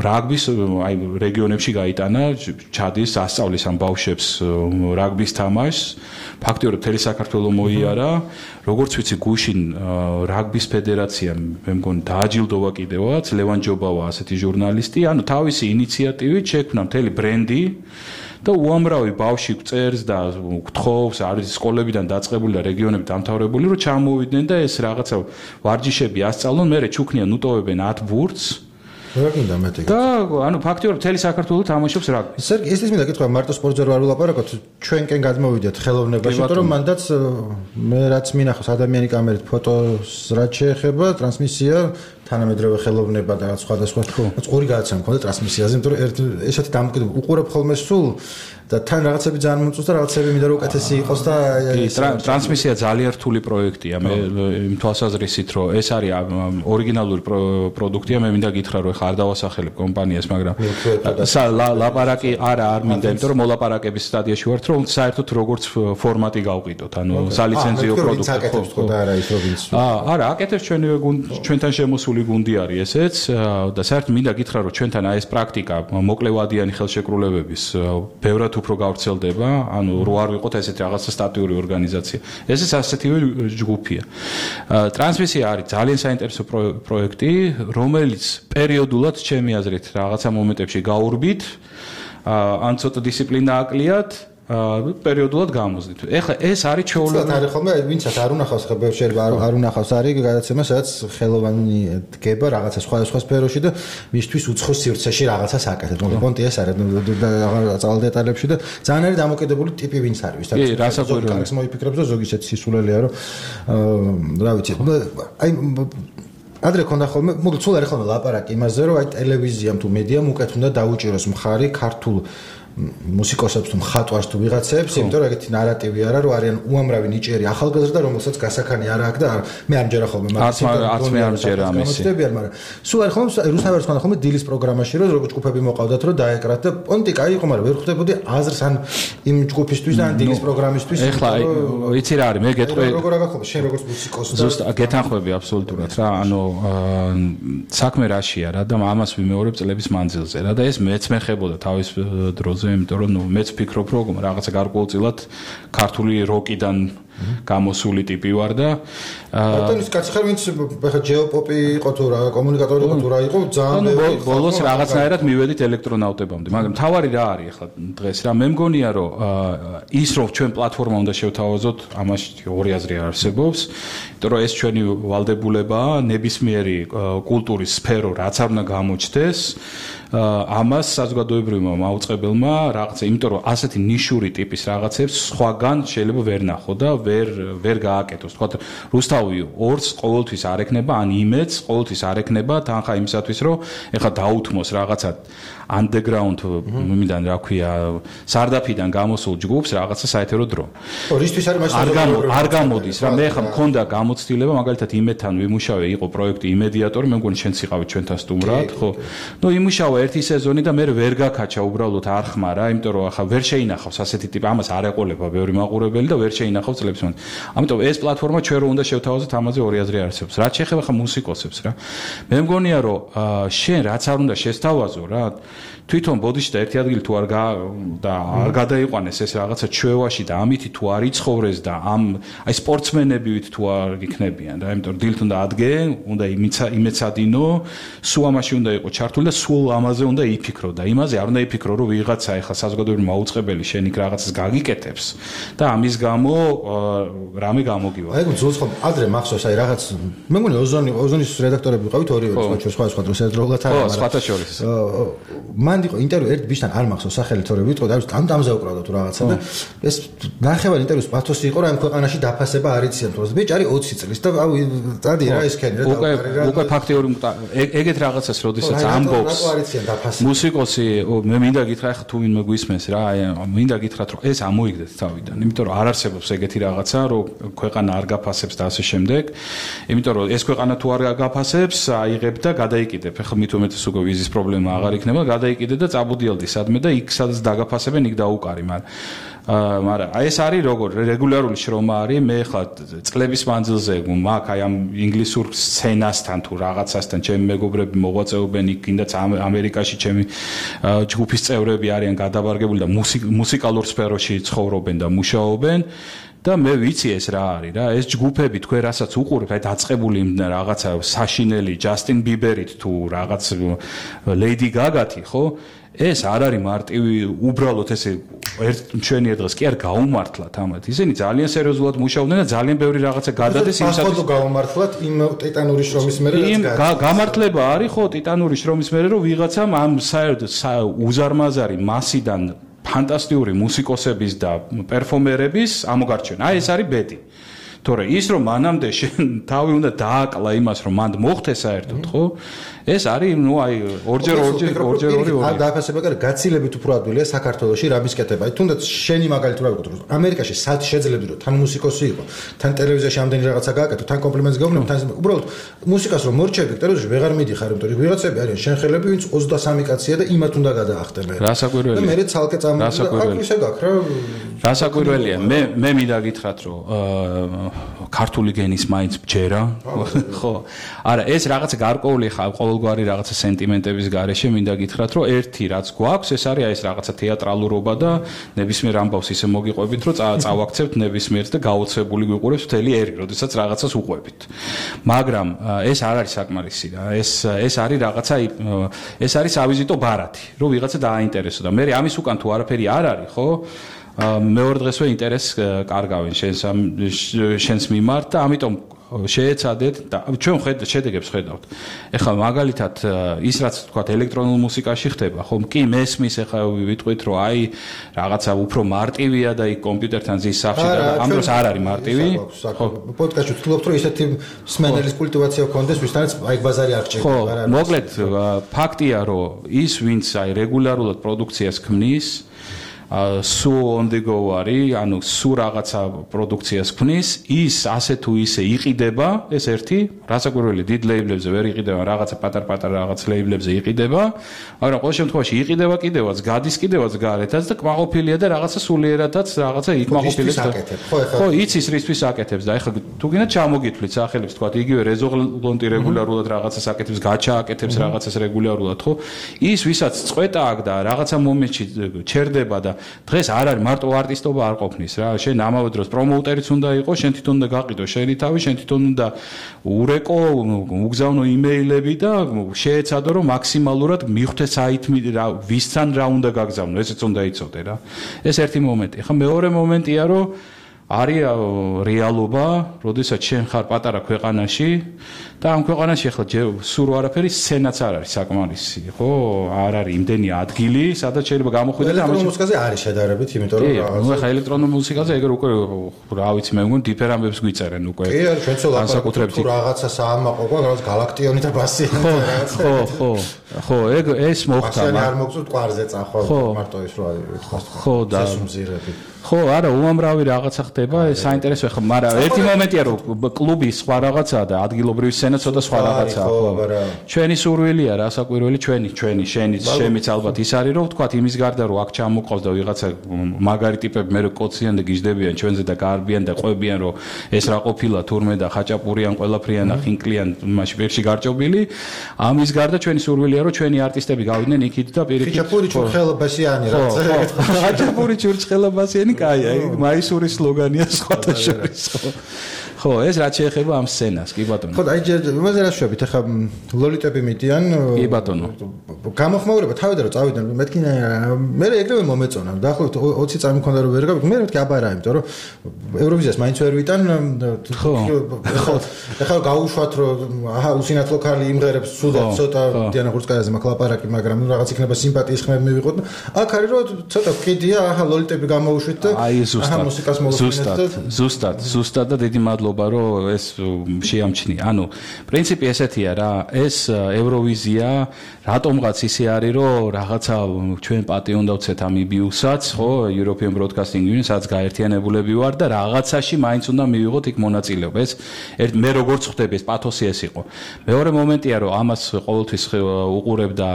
რაგბის აი რეგიონებში გაიტანა, ჩადის ასწავლის ამ ბავშვებს რაგბის თამაშს, ფაქტიურად მთელი საქართველო მოიარა, როგორც ვიცი გუშინ რაგბის ფედერაციამ მე მგონი დააჯილდოვა კიდევაც, ლევან ჯობავა ასეთი ჟურნალისტი, ანუ თავისი ინიციატივით შექმნა მთელი ბრენდი და უამრავი ბავშვი წერს და გთხოვს, არის სკოლებიდან დაწყებული და რეგიონები დამთავრებული, რომ ჩამოვიდნენ და ეს რაღაცა ვარჯიშები ასწავლონ, მერე ჩუქნიან, უტოვებენ 10 ბურთს. რა გინდა მეტი? და ანუ ფაქტიურად მთელი საქართველო თამაშობს რაგბის. სერგი, ეს მინდა კითხვა, მარტო სპორტზე არ ვილაპარაკოთ, ჩვენკენ გადმოვიდეთ ხელოვნებაში, იმიტომ რომ მანდაც მე რაც მინახავს ადამიანი კამერით ფოტოს რაც შეეხება, ტრანსმისია თანამედროვე ხელოვნება და სხვადასხვა ორი გადაცემა მქონდა ტრანსმისიაზე, იმიტომ რომ ესეთი დამოკიდებულება უყურებ ხოლმე სულ და თან რაღაცები ძალიან მომწონს და რაღაცები მინდა რომ უკეთესი იყოს და ტრანსმისია ძალიან რთული პროექტია. მე იმ თვალსაზრისით რომ ეს არის ორიგინალური პროდუქტია, მე მინდა გითხრა რომ ხა არ დავასახელებ კომპანიას, მაგრამ ლაპარაკი არ მინდა, იმიტომ რომ მოლაპარაკების სტადიაში ვართ, რომ საერთოდ როგორც ფორმატი გავყიდოთ, ანუ სალიცენზიო პროდუქტი ხო და არა ის როგორც არა, აკეთებს ჩვენთან შემოსული გუნდი არის ესეც და საერთოდ მინდა გითხრა რომ ჩვენთან აი ეს პრაქტიკა მოკლევადიანი ხელშეკრულებების ბევრად უფრო გავრცელდება, ანუ რო არ ვიყოთ ესეთი რაღაცა სტატიური ორგანიზაცია. ესეც ასეთივე ჯგუფია. ტრანსმისია არის ძალიან საინტერესო პროექტი, რომელიც პერიოდულად ჩემი აზრით რაღაცა მომენტებში გაურბით, ან ცოტა დისციპლინა აკლიათ, პერიოდულად გამოსდით. ეხლა ეს არის ჩვეულებრივი. არის ხოლმე, ვინცაც არ უნახავს ხა ბევრ შეიძლება არ უნახავს არის გადაცემა, სადაც ხელოვანი დგება რაღაცა სხვადასხვა სფეროში და მისთვის უცხო სივრცეში რაღაცას აკეთებს. მოკლედ პონტი ეს არის წავალ დეტალებში და ძალიან არის დამოკიდებული ტიპი ვინც არის. კი, რასაკვირველია. ის მოიფიქრებს და ზოგი ისეთი სისულელია, რომ რა ვიცი, აი ადრე ქონდა ხოლმე, მოკლედ სულ არის ხოლმე ლაპარაკი იმაზე, რომ აი ტელევიზიამ თუ მედიამ უკეთ უნდა დაუჭიროს მხარი ქართულ მუსიკოსებს თუ მხატვარს თუ ვიღაცებს, იმიტომ რომ ეგეთი ნარატივი არა, რომ არიან უამრავი ნიჭიერი ახალგაზრდა, რომელსაც გასახანი არ აქვს და მე არ მჯერა ხოლმე არც მე არ მჯერა ამისი. მაგრამ სულ არის ხოლმე რუსთავის ხან ხოლმე დილის პროგრამაში, რომ როგორც ჯგუფები მოყავდათ, რომ დაეკრათ და პონტი კაი იყო, მაგრამ ვერ ხვდებოდი აზრს ან იმ ჯგუფისთვის და ან დილის პროგრამისთვის. ეხლა იცი რა არის, მე გეტყვი როგორ აგახო შენ როგორც მუსიკოსი და ზუსტად გეთანხმები აბსოლუტურად რა, ანუ საქმე რაშია რა და ამას ვიმეორებ წლების მანძილზე რა და ეს მეც მეხებოდა თავის დროზე, იმიტომ რომ მეც ვფიქრობ რომ რაღაცა გარკვეულწილად ქართული როკიდან გამოსული ტიპი ვარ და ბატონის კაცი ხარ ვინც ხა ჯეოპოპი იყო თუ რა კომუნიკატორი იყო თუ რა იყო ძალიან ბევრი ბოლოს რაღაცნაირად მივედით ელექტრონავტებამდე მაგრამ თავარი რა არის ახლა დღეს რა მე მგონია რომ ის რომ ჩვენ პლატფორმა უნდა შევთავაზოთ ამაში ორი აზრი არსებობს იმიტომ რომ ეს ჩვენი ვალდებულებაა ნებისმიერი კულტურის სფერო რაც არ უნდა გამოჩნდეს ამას საზოგადოებრივმა მაუწყებელმა რაღაცა იმიტომ რომ ასეთი ნიშური ტიპის რაღაცებს სხვაგან შეიძლება ვერ ნახო და ვერ გააკეთოს თქვა რუსთავი ორს ყოველთვის არ ექნება ან იმედს ყოველთვის არ ექნება თანხა იმისათვის რომ ეხლა დაუთმოს რაღაცა underground მიმიდან რა ქვია სარდაფიდან გამოსულ ჯგუფს რაღაცა საეთერო დრო რისთვის არის მაშინ არ გამოდის რა მე ხა მქონდა გამოცდილება მაგალითად იმედთან ვიმუშავე იყო პროექტი იმედიატორი მე მგონი ჩვენც იყავით ჩვენთან სტუმრად ხო ნუ იმუშავა ერთი სეზონი და მე ვერ გაკაჩა უბრალოდ არ ხმარა იმიტომ რომ ახლა ვერ შეინახავს ასეთი ტიპი ამას არ ეყოლება ბევრი მაყურებელი და ვერ შეინახავს წლებს მან ამიტომ ეს პლატფორმა ჩვენ რო უნდა შევთავაზოთ ამაზე ორი აზრი არსებობს რაც შეეხება ხა მუსიკოსებს რა მე მგონია რომ შენ რაც არ უნდა შესთავაზო რა თვითონ ბოდიში და ერთი ადგილი თუ არ გადაიყვანეს ეს რაღაცა ჩვევაში და ამითი თუ არ იცხოვრეს და ამ აი სპორტსმენებივით თუ არ იქნებიან რა იმიტომ რომ დილით უნდა ადგე უნდა იმეცადინო სულ ამაში უნდა იყო ჩართული და სულ ამაზე უნდა იფიქრო და იმაზე არ უნდა იფიქრო რომ ვიღაცა ეხლა საზოგადოებრივი მაუწყებელი შენ იქ რაღაცას გაგიკეთებს და ამის გამო რამე გამოგივა აი ძულს ხომ ადრე მახსოვს აი რაღაც მე მგონი ოზონის რედაქტორები ვიყავით ორივე სხვა დროს ერთდროულად არა ხო სხვათა შორის მან იყო ინტერვიუ ერთ ბიჭთან არ მახსოვს სახელი თორე ვიტყოდ არის დამზე უკრავდა თუ რაღაცა და ეს ნახევარი ინტერვიუს პათოსი იყო რა იმ ქვეყანაში დაფასება არ იციან თუ ბიჭი არის 20 წლის და დადი რა ის ქენი რა უკვე ფაქტიორი ეგეთ რაღაცას როდესაც ამბობს მუსიკოსი მე მინდა გითხრა ხა თუ ვინმე გვისმენს რა მინდა გითხრათ რომ ეს ამოიგდეთ თავიდან იმიტომ რომ არ არსებობს ეგეთი რაღაცა რომ ქვეყანა არ გაფასებს და ასე შემდეგ იმიტომ რომ ეს ქვეყანა თუ არ გაფასებს აიღებ და გადაიკიდებ ხა მით უმეტეს უკვე ვიზის პრობლემა აღარ იქნება გადაიკიდე და წაბუდიალდი სადმე და იქ სადაც დაგაფასებენ იქ დაუკარი მაგრამ აი ეს არის როგორ რეგულარული შრომა არის მე ხა წლების მანძილზე მაგ აი ამ ინგლისურ სცენასთან თუ რაღაცასთან ჩემი მეგობრები მოღვაწეობენ იქ კიდაც ამერიკაში ჩემი ჯგუფის წევრები არიან გადაბარგებული და მუსიკალურ სფეროში ცხოვრობენ და მუშაობენ და მე ვიცი ეს რა არის რა ეს ჯგუფები თქვენ რასაც უყურებთ აი დაწყებული რაღაცა საშინელი ჯასტინ ბიბერით თუ რაღაც ლეიდი გაგათი ხო ეს არ არის მარტივი უბრალოდ ესე ერთ მშვენიერ დღეს კი არ გაუმართლათ ამათ ისინი ძალიან სერიოზულად მუშაობდნენ და ძალიან ბევრი რაღაცა გადადეს იმისათვის ხო გაუმართლათ იმ ტიტანური შრომის მერე რაც გამართლება არის ხო ტიტანური შრომის მერე რომ ვიღაცამ ამ საერთოდ უზარმაზარი მასიდან ფანტასტიკური მუსიკოსების და პერფორმერების ამოგარჩენა. აი ეს არის ბედი. თორე ის რომ მანამდე შენ თავი უნდა დააკლა იმას რომ მანდ მოხდე საერთოდ, ხო? ეს არის, ნუ აი, ორჯერ დააფასება კარ გაცილებით უფრო ადვილია საქართველოში რამის კეთება. აი თუნდაც შენი მაგალითად რა ვიკეთებ? ამერიკაში სად შეძლებდი რომ თან მუსიკოსი იყო, თან ტელევიზიაში ამდენი რაღაცა გააკეთო, თან კომპლიმენტს გავნებ, თან უბრალოდ მუსიკას რომ მორჩები ტელევიზიაში ვეღარ მიდიხარ, იმიტომ რომ ვიღაცები არიან შენხელები, ვინც 23 კაცია და იმათ უნდა გადაახტენ. რასაკვირველია. და მე ცალკე წამოვიდა. აქ ისე გაქვს რა. რასაკვირველია. მე მინდა გითხრათ რომ ქართული გენის მაინც ბჯერა. ხო. არა, ეს რაღაცა გარკვეული ხა ყოველგვარი რაღაცა სენტიმენტების გარეშე მინდა გითხრათ რომ ერთი რაც გვაქვს ეს არის აი ეს რაღაცა თეატრალურობა და ნებისმიერ ამბავს ისე მოგიყვებით რომ წავაქცევთ ნებისმიერს და გაოცებული გვიყურებს მთელი ერი, როდესაც რაღაცას უყვებით. მაგრამ ეს არ არის საკმარისი რა. ეს არის რაღაცა ეს არის ავიზიტო ბარათი, რომ ვიღაცა დააინტერესო და მე ამის უკან თუ არაფერი არ არის, ხო? მეორე დღესვე ინტერესს კარგავენ შენს მიმართ და ამიტომ შეეცადეთ და ჩვენ შედეგებს ხედავთ. ეხლა მაგალითად ის რაც თქვა ელექტრონულ მუსიკაში ხდება, ხომ კი მესმის ეხლა ვიტყვით რომ აი რაღაცა უფრო მარტივია და იქ კომპიუტერთან ზის სახში და ამ დროს არ არის მარტივი. ხო, პოდკასტში ვთქვით რომ ისეთი სმენელის კულტივაცია გქონდეს, ვისთანაც აი ბაზარი არ ჭირდება. ხო, მოკლედ ფაქტია რომ ის ვინც აი რეგულარულად პროდუქციას ქმნის სუ on the go არის, ანუ სუ რაღაცა პროდუქციას ქმნის, ის ასე თუ ისე იყიდება, ეს ერთი, რასაკვირველი დიდ ლეიბლებზე ვერ იყიდება, რაღაცა პატარ-პატარ რაღაც ლეიბლებზე იყიდება, მაგრამ ყოველ შემთხვევაში იყიდება კიდევაც, გადის კიდევაც გარეთაც და კმაყოფილია და რაღაცა სულიერადაც რაღაცა იკმაყოფილებს. ხო, იცის რისთვის აკეთებს და ეხლა თუ გინდა ჩამოგითვლით სახელებს, თქვა იგივე რეზოლონტი რეგულარულად რაღაცას აკეთებს, გაჩააკეთებს რაღაცას რეგულარულად, ხო? ის ვისაც წყვეტა აქვს და რაღაცა მომენტში ჩერდება და დღეს არ არის მარტო არტისტობა არ ყოფნის რა. შენ ამავე დროს პრომოუტერიც უნდა იყოს, შენ თვითონ უნდა გაყიდო შენი თავი, შენ თვითონ უნდა ურეკო, უგზავნო იმეილები და შეეცადო რომ მაქსიმალურად მიხვდე საითმი ვისთან რა უნდა გაგზავნო, ესეც უნდა იცოდე რა. ეს ერთი მომენტი. ხა მეორე მომენტია რომ არის რეალობა, როდესაც შენ ხარ პატარა ქვეყანაში და ამ ქვეყანაში ახლა სულ არაფერი სცენაც არ არის საკმარისი, ხო? არ არის იმდენი ადგილი, სადაც შეიძლება გამოხვიდე და ამაში მუსიკაზე არის შედარებით, იმიტომ რომ ნუ ახლა ელექტრონულ მუსიკაზე ეგრე უკვე რა ვიცი მე მგონი დიფერ ამბებს გვიწერენ უკვე. კი, არის ჩვენც ლაპარაკობთ თუ რაღაცა საამაყო ყვა, რაღაც galaktioni და basიანი რაღაცა. ხო, ეს მოხდა. არ მოგწევთ კვარზე წახვალ მარტო ის რო არის, ვთქვათ. ხო და სესუმზირები. ხო, არა, უამრავი რაღაცა ხდება, ეს საინტერესო ხა, მაგრამ ერთი მომენტია რომ კლუბი სხვა რაღაცაა და ადგილობრივი სცენა ცოტა სხვა რაღაცაა, ხო. ჩვენი სურვილია, რასაკვირველი ჩვენი, შენიც ალბათ ის არის რომ ვთქვათ იმის გარდა რომ აქ ჩამოყავს და ვიღაცა მაგარი ტიპები მე კოციან და გიждდებიან ჩვენზე და გარბიან და ყვებიან რომ ეს რა ყოფილა თურმე და ხაჭაპურიან, ყველაფრიან და ხინკლიან მაშინ პირში გარჭობილი. ამის გარდა ჩვენი სურვილია რომ ჩვენი არტისტები გავიდნენ იქით და პირიქით. ხაჭაპური ჩურხელაბასიანი რაც ეგეთ. ხაჭაპური ჩურხელაბასიანი კაია, მაისურის სლოგანია სხვათა შორის. ხო, ეს რაც შეეხება ამ სცენას, კი ბატონო. ხო, აი იმაზე რა შვებით, ახლა ლოლიტები მიდიან. კი ბატონო. გამოხმაურება თავიდან რომ წავიდნენ, მეთქი მე ეგრევე მომეწონა. დაახლოებით 20 წამი მქონდა რომ ვერ გავიგე, მე მეთქი აბარა, იმიტომ რომ ევროვიზიას მაინც ვერ ვიტან. ხო. ახლა გაუშვათ რომ აჰა უსინათლო ქალი იმღერებს სულად ცოტა დიანა ხურცკაიაზე მაქვს ლაპარაკი, მაგრამ რაღაც იქნება სიმპათიის ხმები მივიღოთ. აქ არის რომ ცოტა ვკიდია, აჰა ლოლიტები გამოვუშვით და აჰა მუსიკას მოვუშვით. ზუსტად და დიდი მადლობა რომ ეს შეამჩნია. ანუ პრინციპი ესეთია რა, ეს ევროვიზია რატომღაც ისე არის რომ რაღაცა ჩვენ პატი უნდა ვცეთ ამ იბიუსაც, ხო, European Broadcasting Union, სადაც გაერთიანებულები ვარ და რაღაცაში მაინც უნდა მივიღოთ იქ მონაწილეობა. ეს მე როგორც ხვდები ეს პათოსი ეს იყო. მეორე მომენტია რომ ამას ყოველთვის უყურებდა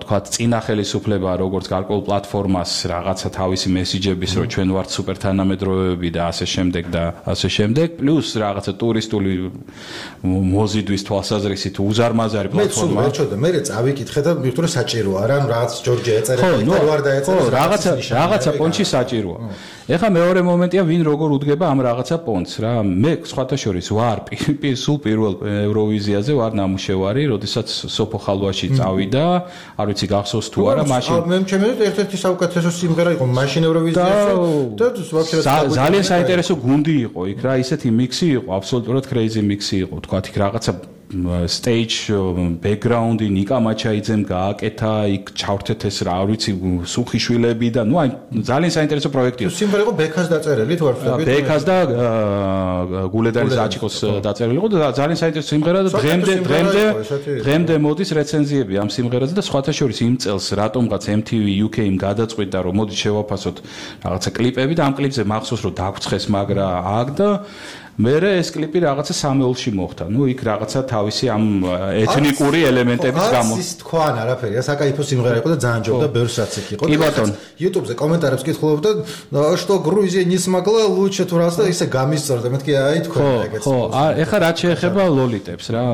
თქვათ წინა ხელისუფლება როგორც გარკვეულ პლატფორმას რაღაცა თავისი მესიჯების რომ ჩვენ ვართ სუპერ თანამედროვეები და ასე შემდეგ და ასე შემდეგ, პლუს რაღაცა ტურისტული მოზიდვის თვალსაზრისით უზარმაზარი პლატფორმა. მე წავიკითხე და მივხვდი რომ საჭიროა რა, რაღაც ჯორჯია ეწერა და ვარ დაეწერა. რაღაცა პონჩი საჭიროა. ეხლა მეორე მომენტია ვინ როგორ უდგება ამ რაღაცა პონჩს რა. მე სხვათა შორის ვარ სულ პირველ ევროვიზიაზე ვარ ნამუშევარი, როდესაც სოფო ხალვაში წავიდა, არ ვიცი გახსოვს თუ არა, მაშინ მე ჩემი ერთ-ერთი საუკეთესო სიმღერა იყო მაშინ ევროვიზიაში და ძალიან საინტერესო გუნდი იყო იქ რა, ისეთი მიქსი იყო, აბსოლუტურად crazy მიქსი იყო, თქვა იქ რაღაცა stage background-ი ნიკა მაჩაიძემ გააკეთა, იქ ჩავრთეთ ეს რა ვიცი სუხიშვილები და ნუ აი ძალიან საინტერესო პროექტი იყო. სიმღერა იყო ბექას დაწერილი თუ არ ვთქვი? ბექას და გულედანის აჩიკოს დაწერილი იყო და ძალიან საინტერესო სიმღერა და დღემდე მოდის რეცენზიები ამ სიმღერაზე და სხვათა შორის იმ წელს რატომღაც MTV UK-მ გადაწყვიტა რომ მოდი შევაფასოთ რაღაცა კლიპები და ამ კლიპზე მახსოვს რომ დაგვცხეს მაგრა აქ და მერე ეს კლიპი რაღაცა სამეულში მოხდა. ნუ იქ რაღაცა თავისი ამ ეთნიკური ელემენტების გამო. ის თქვა არაფერი, საკაიფო სიმღერა იყო და ძალიან ჯობდა ბევრსაც იქ იყო. კი ბატონო. YouTube-ზე კომენტარებს კითხულობდა, что Грузия не смогла лучше თუ რას და ისე გამისწორდა. მეთქი აი თქვა ეგეც. ხო, ეხლა რაც შეეხება ლოლიტებს რა.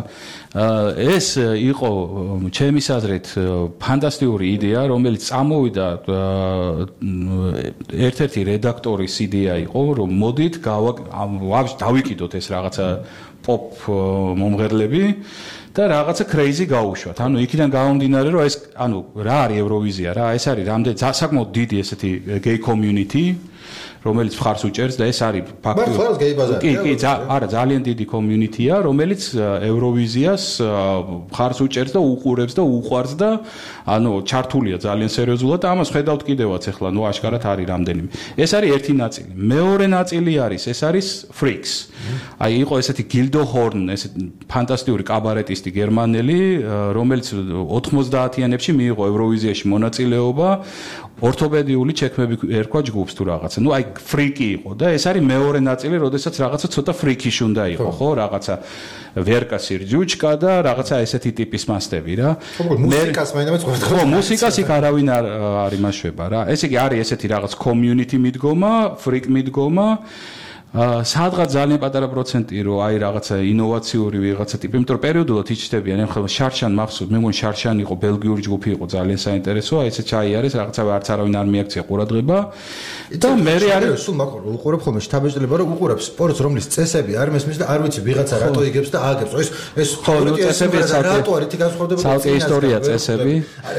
ეს იყო ჩემის აზრით ფანტასტიკური იდეა, რომელიც წამოვიდა ერთ-ერთი რედაქტორის იდეა იყო, რომ მოდით დავიკიდოთ ეს რაღაცა პოპ მომღერლები და რაღაცა crazy გაუშვათ. ანუ იქიდან გამომდინარე, რომ ეს ანუ რა არის ევროვიზია რა, ეს არის რამდენი საკმაოდ დიდი ესეთი gay community რომელიც მხარს უჭერს და ეს არის ფაქტი. არა, ძალიან დიდი community-ა, რომელიც ევროვიზიას მხარს უჭერს და უყურებს და უყვარს და ანუ ჩართულია ძალიან სერიოზულად და ამას ხედავთ კიდევაც ახლა, აშკარად არის რამდენიმე. ეს არის ერთი ნაწილი. მეორე ნაწილი არის, ეს არის Freaks. აი იყო ესეთი Gildo Horn, ესეთი ფანტასტიკური კაბარეტისტი გერმანელი, რომელიც 90-იანებში მიიღო ევროვიზიაში მონაწილეობა, ორთოპედიული ჩექმები ერქვა ჯგუფს თუ რაღაცა. აი ფრიკი იყო და ეს არის მეორე ნაწილი, როდესაც რაღაცა ცოტა ფრიკიში უნდა იყო, ხო, რაღაცა ვერკა სირჯუჩკა და რაღაცა ესეთი ტიპის მასტები რა. მუსიკას მაინც ყვერდა. ხო, მუსიკას იქ არავინ არ იმაშვება რა. ესე იგი არის ესეთი რაღაც community მიდგომა, ფრიკ მიდგომა. სადღაც ძალიან პატარა პროცენტი რო აი რაღაცა ინოვაციური ვიღაცა ტიპი, იმიტომ რომ პერიოდულად იჩნდებიან, ახლა შარშან მახსოვს, მე მგონი შარშანი იყო, ბელგიური ჯგუფი იყო, ძალიან საინტერესო, აი ესე ჩაიარეს, რაღაცა არც არავინ არ მიაქცია ყურადღება. და მე არის სულ მაყურებ, უყურებ ხოლმე შთაბეჭდილება, რომ უყურებ სპორტს, რომლის წესები არ მესმის და არ ვიცი ვიღაცა რატო იგებს და ააგებს. ეს წესები რატო არის თი განსხვავდება? ცალკე ისტორია წესები.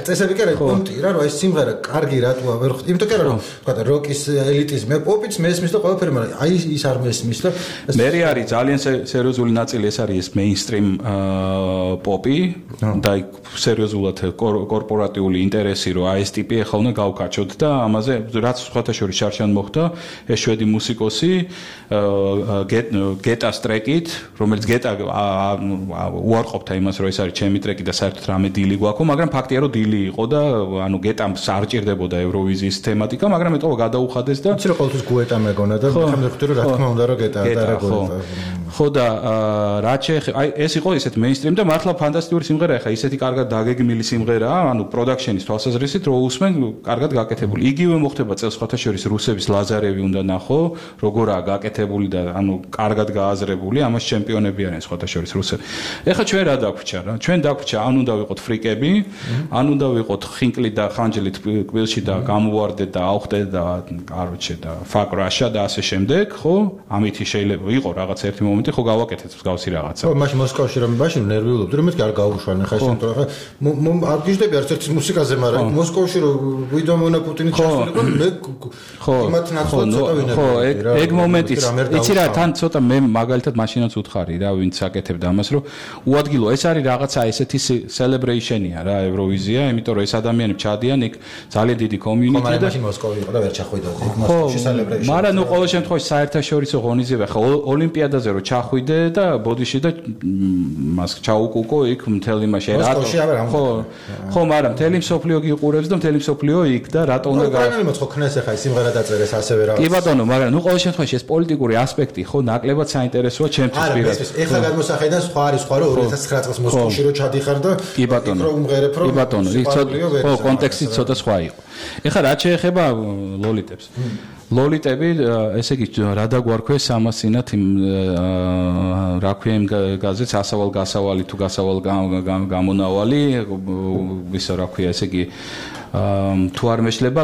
წესები კი არა, პონტი რა, რომ ეს სიმღერა კარგი რატოა ვერ ხვდები. იმიტომ კი არა, რომ თქვა როკის ელიტიზმი, პოპიც მესმის და ყველაფერი, მაგრამ აი ის არ მესმის და მე არის ძალიან სერიოზული ნაწილი, ეს არის ეს მეინსტრიმ პოპი და სერიოზულად კორპორატიული ინტერესი, რომ აი ეს ტიპი ახლა უნდა გავკაჩოთ და ამაზე რაც სხვათა შორის შარშან მოხდა, ეს შვედი მუსიკოსი გეტას ტრეკით, რომელიც გეტა უარყოფდა იმას, რომ ეს არის ჩემი ტრეკი და საერთოდ რამე დილი გვაქვს, მაგრამ ფაქტია, რომ დილი იყო და ანუ გეტამ არ ჭირდებოდა ევროვიზიის თემატიკა, მაგრამ ეტყობა გადაუხადეს და იცი რომ ყოველთვის გუეტა მეგონა და მე ხვდები რომ რა თქმა უნდა რომ გეტა და რა გუეტა. ხო და რაც შეეხება აი ეს იყო ისეთ მეინსტრიმ და მართლა ფანტასტიკური სიმღერა, ახლა ისეთი კარგად დაგეგმილი სიმღერაა, ანუ პროდაქშენის თვალსაზრისით რო უსმენ კარგად გაკეთებული. იგივე მოხდება წელს სხვათა შორის რუსების ლაზარევი უნდა ნახო, როგორაა გაკეთებული და ანუ კარგად გააზრებული, ამას ჩემპიონები არიან სხვათა შორის რუსები. ეხლა ჩვენ რა დაგვჭა რა? ჩვენ დაგვჭა, ან უნდა ვიყოთ ფრიკები, ან უნდა ვიყოთ ხინკლი და ხანჯლით კბილში და გამოვარდეთ და ავხდეთ და კაროჩე და ფაკრაშა და ასე შემდეგ, ხო? ამითი შეიძლება იყო რაღაც ერთი მომენტი, ხო გავაკეთეთ მსგავსი რაღაცა. ხო, მაშინ მოსკოვში რომ მაშინ ნერვიულობდი, რომ მეთქი არ გაუშვან, ხა ეს იმიტომ რომ არ გიждები არც ერთ მუსიკაზე, მაგრამ მოსკოვში რომ ვიდომონა პუტინი ჩასულიყო, მე იმათ ნაცვლად ცოტა ვინებდი. ხო, ეგ მომენტიც. იცი რა, თან ცოტა მე მაგალითად მაშინაც უთხარი რა, ვინც აკეთებდა ამას, რომ უადგილო ეს არის რაღაცა ესეთი celebration-ია რა, ევროვიზია, იმიტომ რომ ეს ადამიანები ჩადიან იქ ძალიან დიდი community და მაშინ მოსკოვი იყო და ვერ ჩახვიდა ეგ მოსკოვში celebration. მაგრამ ნუ ყოველ შემთხვევაში საერთაშორისო ღონისძიება, ხა ოლიმპიადაზე რო ჩახვიდე და ბოდიში და მას ჩაუკუკო იქ მთელი მასე რატო? ხო, მაგრამ მთელი მსოფლიო გიყურებს და მთელი მსოფლიო იქ და რატო უნდა გაიგო ხო ქნეს ახლა ის სიმღერა დაწერეს ასევე რაღაც. კი ბატონო, მაგრამ ნუ ყოველ შემთხვევაში ეს პოლიტიკური ასპექტი ხო ნაკლებად საინტერესოა ჩემთვის პირადად. ეხლა გადმოსახედან სხვა არის სხვა რომ 2009 წელს მოსკოვში რო ჩადიხარ და კი ბატონო, კი ბატონო, ხო კონტექსტი ცოტა სხვა იყო. ეხლა რაც შეეხება ლოლიტებს. ლოლიტები, ესე იგი რა დაგვარქვეს ამას წინათ იმ რა ქვია იმ გაზეთს ასავალ გასავალი თუ გასავალ გამონავალი, ვისა რა ქვია, ესე იგი თუ არ მეშლება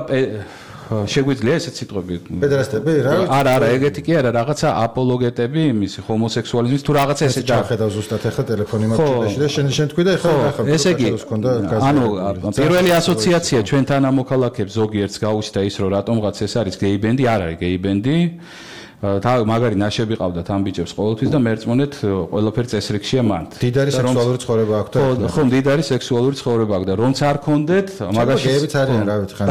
შეგვიძლია ესეთ სიტყვები პედერასტები რა არა ეგეთი კი არა რაღაცა აპოლოგეტები იმის ჰომოსექსუალიზმის თუ რაღაცა ესე ჩახედავ ზუსტად ახლა ტელეფონი მაქვს და შენ თქვი და ახლა ესე იგი ანუ პირველი ასოციაცია ჩვენთან ამოქალაქებს ზოგიერთს გაუჩნდა ის რომ რატომღაც ეს არის გეი ბენდი არ არის გეი ბენდი და მაგარი ნაშები ყავდათ ამ ბიჭებს ყოველთვის და მერწმუნეთ ყველაფერი წესრიგშია მანდ. დიდარი სექსუალური ცხოვრება აქვს და ხო, დიდარი სექსუალური ცხოვრება აქვს და რომც არ კონდეთ, მაგაში გეებიც არიან, რა ვიცი, ხან.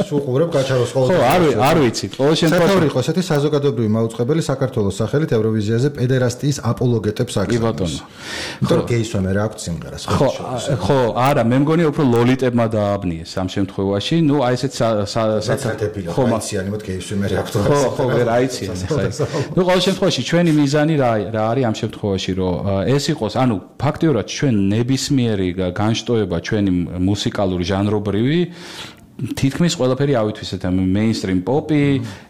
სულ ყურებ გაჩაროს ყოველთვის. ხო, არ ვიცი. ყოველ შემთხვევაში იყო ესეთი საზოგადოებრივი მაუწყებელი საქართველოს სახელით ევროვიზიაზე პედერასტიის აპოლოგეტებს აქვს. კი ბატონო. იმიტომ რომ გეისვამე რა აქვს სიმღერას. ხო, არა, მე მგონი უფრო ლოლიტებმა დააბნიეს ამ შემთხვევაში. ნუ აი ესეთ საცრეთებია, ხაიციანი მოდ გეისვამე რა აქვს. ხო, რა ნუ ყოველ შემთხვევაში ჩვენი მიზანი რა არის ამ შემთხვევაში რომ ეს იყოს ანუ ფაქტიურად ჩვენ ნებისმიერი განშტოება ჩვენი მუსიკალური ჟანრობრივი თითქმის ყველაფერი ავითვისეთ ამ მეინსტრიმ პოპი,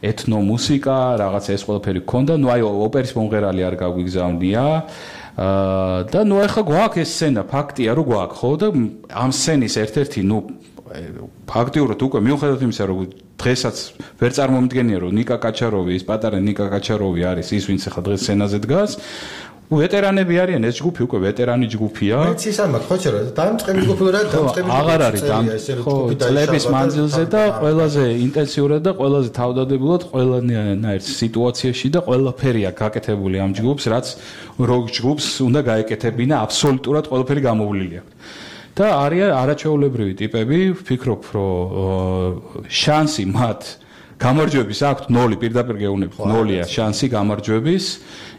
ეთნო მუსიკა, რაღაცა ეს ყველაფერი გქონდა, ნუ აი ოპერის მომღერალი არ გაგვიგზავნია და ნუ ახლა გვაქვს ეს სცენა, ფაქტია რომ გვაქვს, ხო და ამ სცენის ერთ-ერთი ნუ ფაქტიურად უკვე მიუხედავად იმისა რომ დღესაც ვერ წარმომიდგენია რომ ნიკა კაჩაროვი ის პატარა ნიკა კაჩაროვი არის ის ვინც ახლა დღეს სცენაზე დგას ვეტერანები არიან ეს ჯგუფი უკვე ვეტერანი ჯგუფია. მეც ის ამბობ ხო չէ რომ დამწყები ჯგუფი რა დამწყები აღარ არის ხო წლების მანძილზე და ყველაზე ინტენსიურად და ყველაზე თავდადებულად ყველანაირ სიტუაციაში და ყველაფერი აქვს გაკეთებული ამ ჯგუფს რაც როკ ჯგუფს უნდა გაეკეთებინა აბსოლუტურად ყველაფერი გამოვლილი აქვს. და არიან არაჩვეულებრივი ტიპები, ვფიქრობ, რომ შანსი მათ გამარჯვების აქვს 0 პირდაპირ გეუბნები 0-ია შანსი გამარჯვების,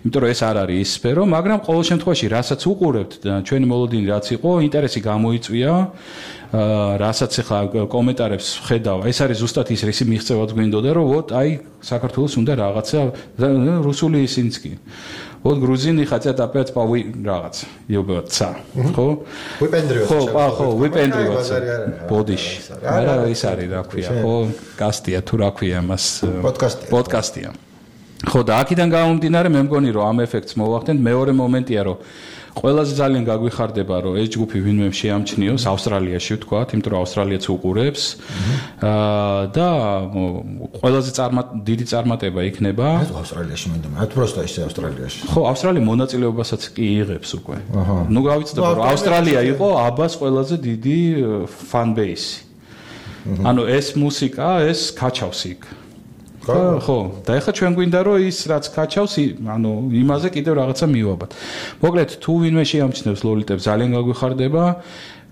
იმიტომ რომ ეს არ არის ის სფერო, მაგრამ ყოველ შემთხვევაში რასაც უყურებთ ჩვენი მოლოდინი რაც იყო, ინტერესი გამოიწვია, რასაც ახლა კომენტარებს ხედავ, ეს არის ზუსტად ის რისი მიღწევაც გვინდოდა, რომ ვოთ აი საქართველოს უნდა რაღაცა რუსული ისინიც კი. Вот грузины хотят опять რაღაც იუბოცა ხო ხო ვიპენდრივაცა ბოდიში არა ის არის რა ქვია ხო კასტია თუ რა ქვია მას პოდკასტია ხო და აქედან გამომდინარე მე მგონი რომ ამ ეფექტს მოვახდენთ მეორე მომენტია რომ ყველაზე ძალიან გაგვიხარდება რომ ეს ჯგუფი ვინმე შეამჩნიოს ავსტრალიაში ვთქვათ იმიტომ რომ ავსტრალიაც უყურებს და ყველაზე დიდი წარმატება იქნება ავსტრალიაში მინდა მათ просто ისე ავსტრალიაში ხო ავსტრალია მონაწილეობასაც კი იღებს უკვე ნუ გავიცდები რომ ავსტრალია იყო აბას ყველაზე დიდი fan base ანუ ეს მუსიკა ეს კაჩავს იქ ხო და ეხლა ჩვენ გვინდა რომ ის რაც კაჩავს ანუ იმაზე კიდევ რაღაცა მივაბად მოკლედ თუ ვინმე შეამჩნევს ლოლიტებს ძალიან გაგვიხარდება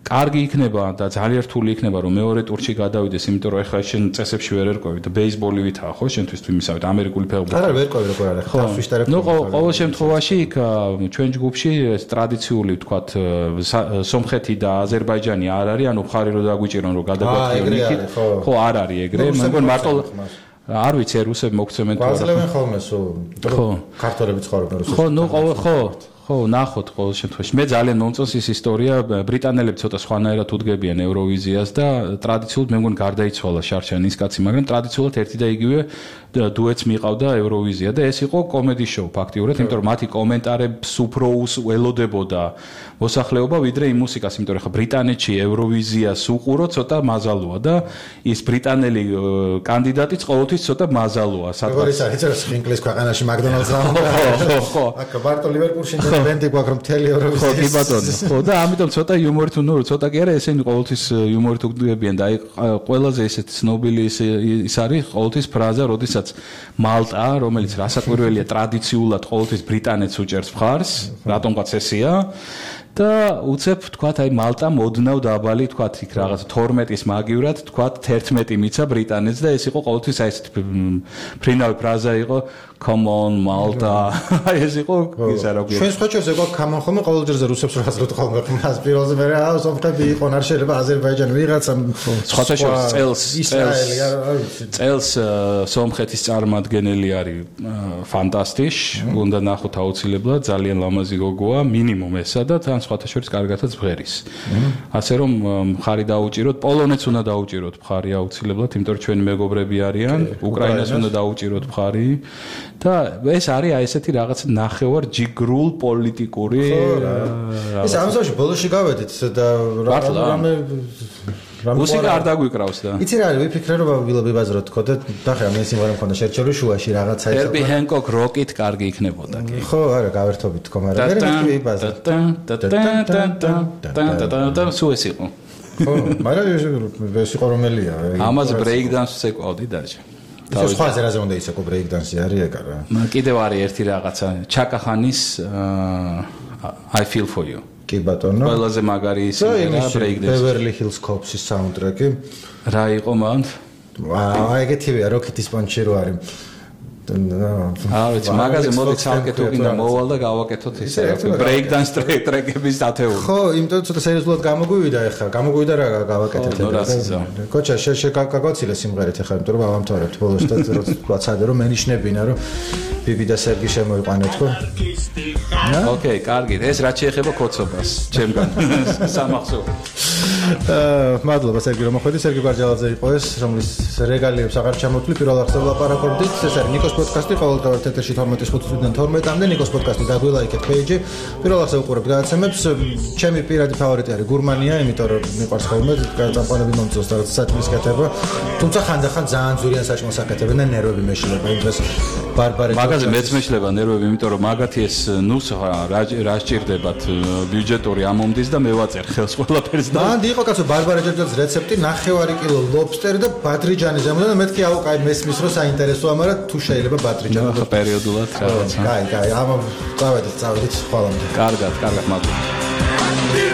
კარგი იქნება და ძალიან რთული იქნება რომ მეორე ტურში გადავიდეს იმიტომ რომ ეხლა შენ წესებში ვერ ერკვევი და ბეისბოლი ვითაა ხო შენთვის თუ იმისავით ამერიკული ფეხბურთი არა ვერ ყვევი როგორ არის თავშიშტარებ ნუ ყოველ შემთხვევაში იქ ჩვენ ჯგუფში ეს ტრადიციული ვთქვათ სომხეთი და აზერბაიჯანი არ არის ანუ ხარი რომ დაგვიჭირონ რომ გადაგვაქვს იქით ხო არ არის ეგრე მე მგონი მარტო არ ვიცი რუსები მოგცემენ თუ არა გვაძლევენ ხოლმე სულ ქართველები ცხოვრობენ რუსეთში ხო ნუ ხო ნახოთ ყოველ შემთხვევაში მე ძალიან მომწონს ის ისტორია ბრიტანელები ცოტა სხვანაირად უდგებიან ევროვიზიას და ტრადიციულად მე მგონი გარდაიცვალა შარშანის კაცი მაგრამ ტრადიციულად ერთი და იგივე დუეტს მიყავდა ევროვიზია და ეს იყო კომედი შოუ ფაქტიურად იმიტომ რომ მათი კომენტარებს უფრო ველოდებოდა მოსახლეობა ვიდრე იმ მუსიკას იმიტომ რომ ხა ბრიტანეთში ევროვიზიას უყურო ცოტა მაზალოა და ის ბრიტანელი კანდიდატიც ყოველთვის ცოტა მაზალოა სადღაც როგორ არის ეს ინგლისის ქვეყანაში მაკდონალდს ხო აკ ბარტო ლივერპულში ბენდი გვაქვს რომ მთელი ევროვიზია ხო კი ბატონო ხო და ამიტომ ცოტა იუმორით ნუ ცოტა კი არა ესენი ყოველთვის იუმორით უდგებიან და აი ყველაზე ესეთ ცნობილი ის არის ყოველთვის ფრაზა როდესაც მალტა რომელიც რასაკვირველია ტრადიციულად ყოველთვის ბრიტანეთს უჭერს მხარს რატომღაც ესეა და უცებ თქვათ აი მალტა მოდნავ დაბალი თქვათ იქ რაღაც 12-ის მაგივრად თქვათ 11 მიცა ბრიტანეთს და ეს იყო ყოველთვის აი ესეთ ფრინავი ფრაზა იყო come on malta ეს იყო ისა რა ქვია ჩვენ ხოჩებს ეგ come on ხოლმე ყოველჯერზე რუსებს რა აზრობთ ხოლმე მას პირველზე მე რა სომხები იყო არ შეიძლება აზერბაიჯანი ვიღაცა წელს სომხეთის წარმომადგენელი არის ფანტასტიშ უნდა ნახოთ აუცილებლად ძალიან ლამაზი გოგოა მინიმუმ ესა და თან სხვათა შორის კარგათაც ბღერის ასე რომ მხარი დაუჭიროთ პოლონეთს უნდა დაუჭიროთ მხარი აუცილებლად იმიტომ რომ ჩვენი მეგობრები არიან უკრაინას უნდა დაუჭიროთ მხარი და ეს არის აი ესეთი რაღაც ნახევარ ჯიგრულ პოლიტიკური ეს ამასობაში ბოლოში გავედით და რამე მუსიკა არ დაგვიკრავს და იცი რა ვიფიქრე რომ ვიბაზროთ თქო და ნახე მე სიმღერა მქონდა შერჩეული შუაში რაღაცა ეს Herbie Hancock Rocket კარგი იქნებოდა კი ხო არა გავერთობით თქო მაგრამ მე ვიბაზრე და სულ ეს იყო ხო მაგრამ ეს იყო რომელია ამაზე break dance-ს ეკავდი დაჟე ეს სხვა ზერაზე უნდა იცეკო break dance-ი არის ეგ არა კიდევ არის ერთი რაღაცა ჩაკახანის I feel for you კი ბატონო ყველაზე მაგარი სიმღერა break dance Beverly Hills Cops-ის საუნდტრეკი რა იყო მან აი ეგეთივეა როკეტის პანჩი რო არის ვიცი მაგაზე მოდი ცალკე თუ გინდა მოვალ და გავაკეთოთ ისე break dance ტრეკების ათეული ხო იმიტომ ცოტა სერიოზულად გამოგვივიდა ახლა გამოგვივიდა რა გავაკეთეთ კოჩა შეკაკაცილე სიმღერით ახლა იმიტომ რომ ავამთავრებთ ბოლოს და ვაცადე რომ მენიშნებინა რომ ბიბი და სერგი შემოიყვანეთ ხო ოკეი კარგი ეს რაც შეეხება კოცობას ჩემგან სამახსოვრო მადლობა სერგი რომ მოხვედი სერგი გვარჯალაძე იყო ეს რომლის რეგალიებს აღარ ჩამოთვლი პირველ აღსავალ ლაპარაკობდით ეს არის ნიკოს პოდკასტი ყოველდღიურად ეთერში 12:05-დან 12-მდე ნიკოს პოდკასტი დაგვილაიქეთ პეიჯი პირველ აღსავალ უყურებთ გადაცემებს ჩემი პირადი ფავორიტი არის გურმანია იმიტომ რომ მიყვარს ხოლმე წამყვანები მომწონს და საჭმლის კეთება თუმცა ხანდახან ძალიან ძვირიან საჭმელს აკეთებენ და ნერვები მეშლება იმ დღეს ბარბარე მაგაზე მეც მეშლება ნერვები იმიტომ რომ მაგათი ეს ნუს რა სჭირდებათ ბიუჯეტური ამომდის და მე ვაწერ ხელს ყველაფერს და მანდი იყო კაცო ბარბარე ჯერჯერობით რეცეპტი 9 კილო ლობსტერი და ბადრიჯანი ზემოდან და მეთქი აუყაი მესმის რო საინტერესოა მაგრამ თუ შეიძლება ბადრიჯანი ხო პერიოდულად რაღაცა კაი ამ წავედით ხვალამდე კარგად მადლობა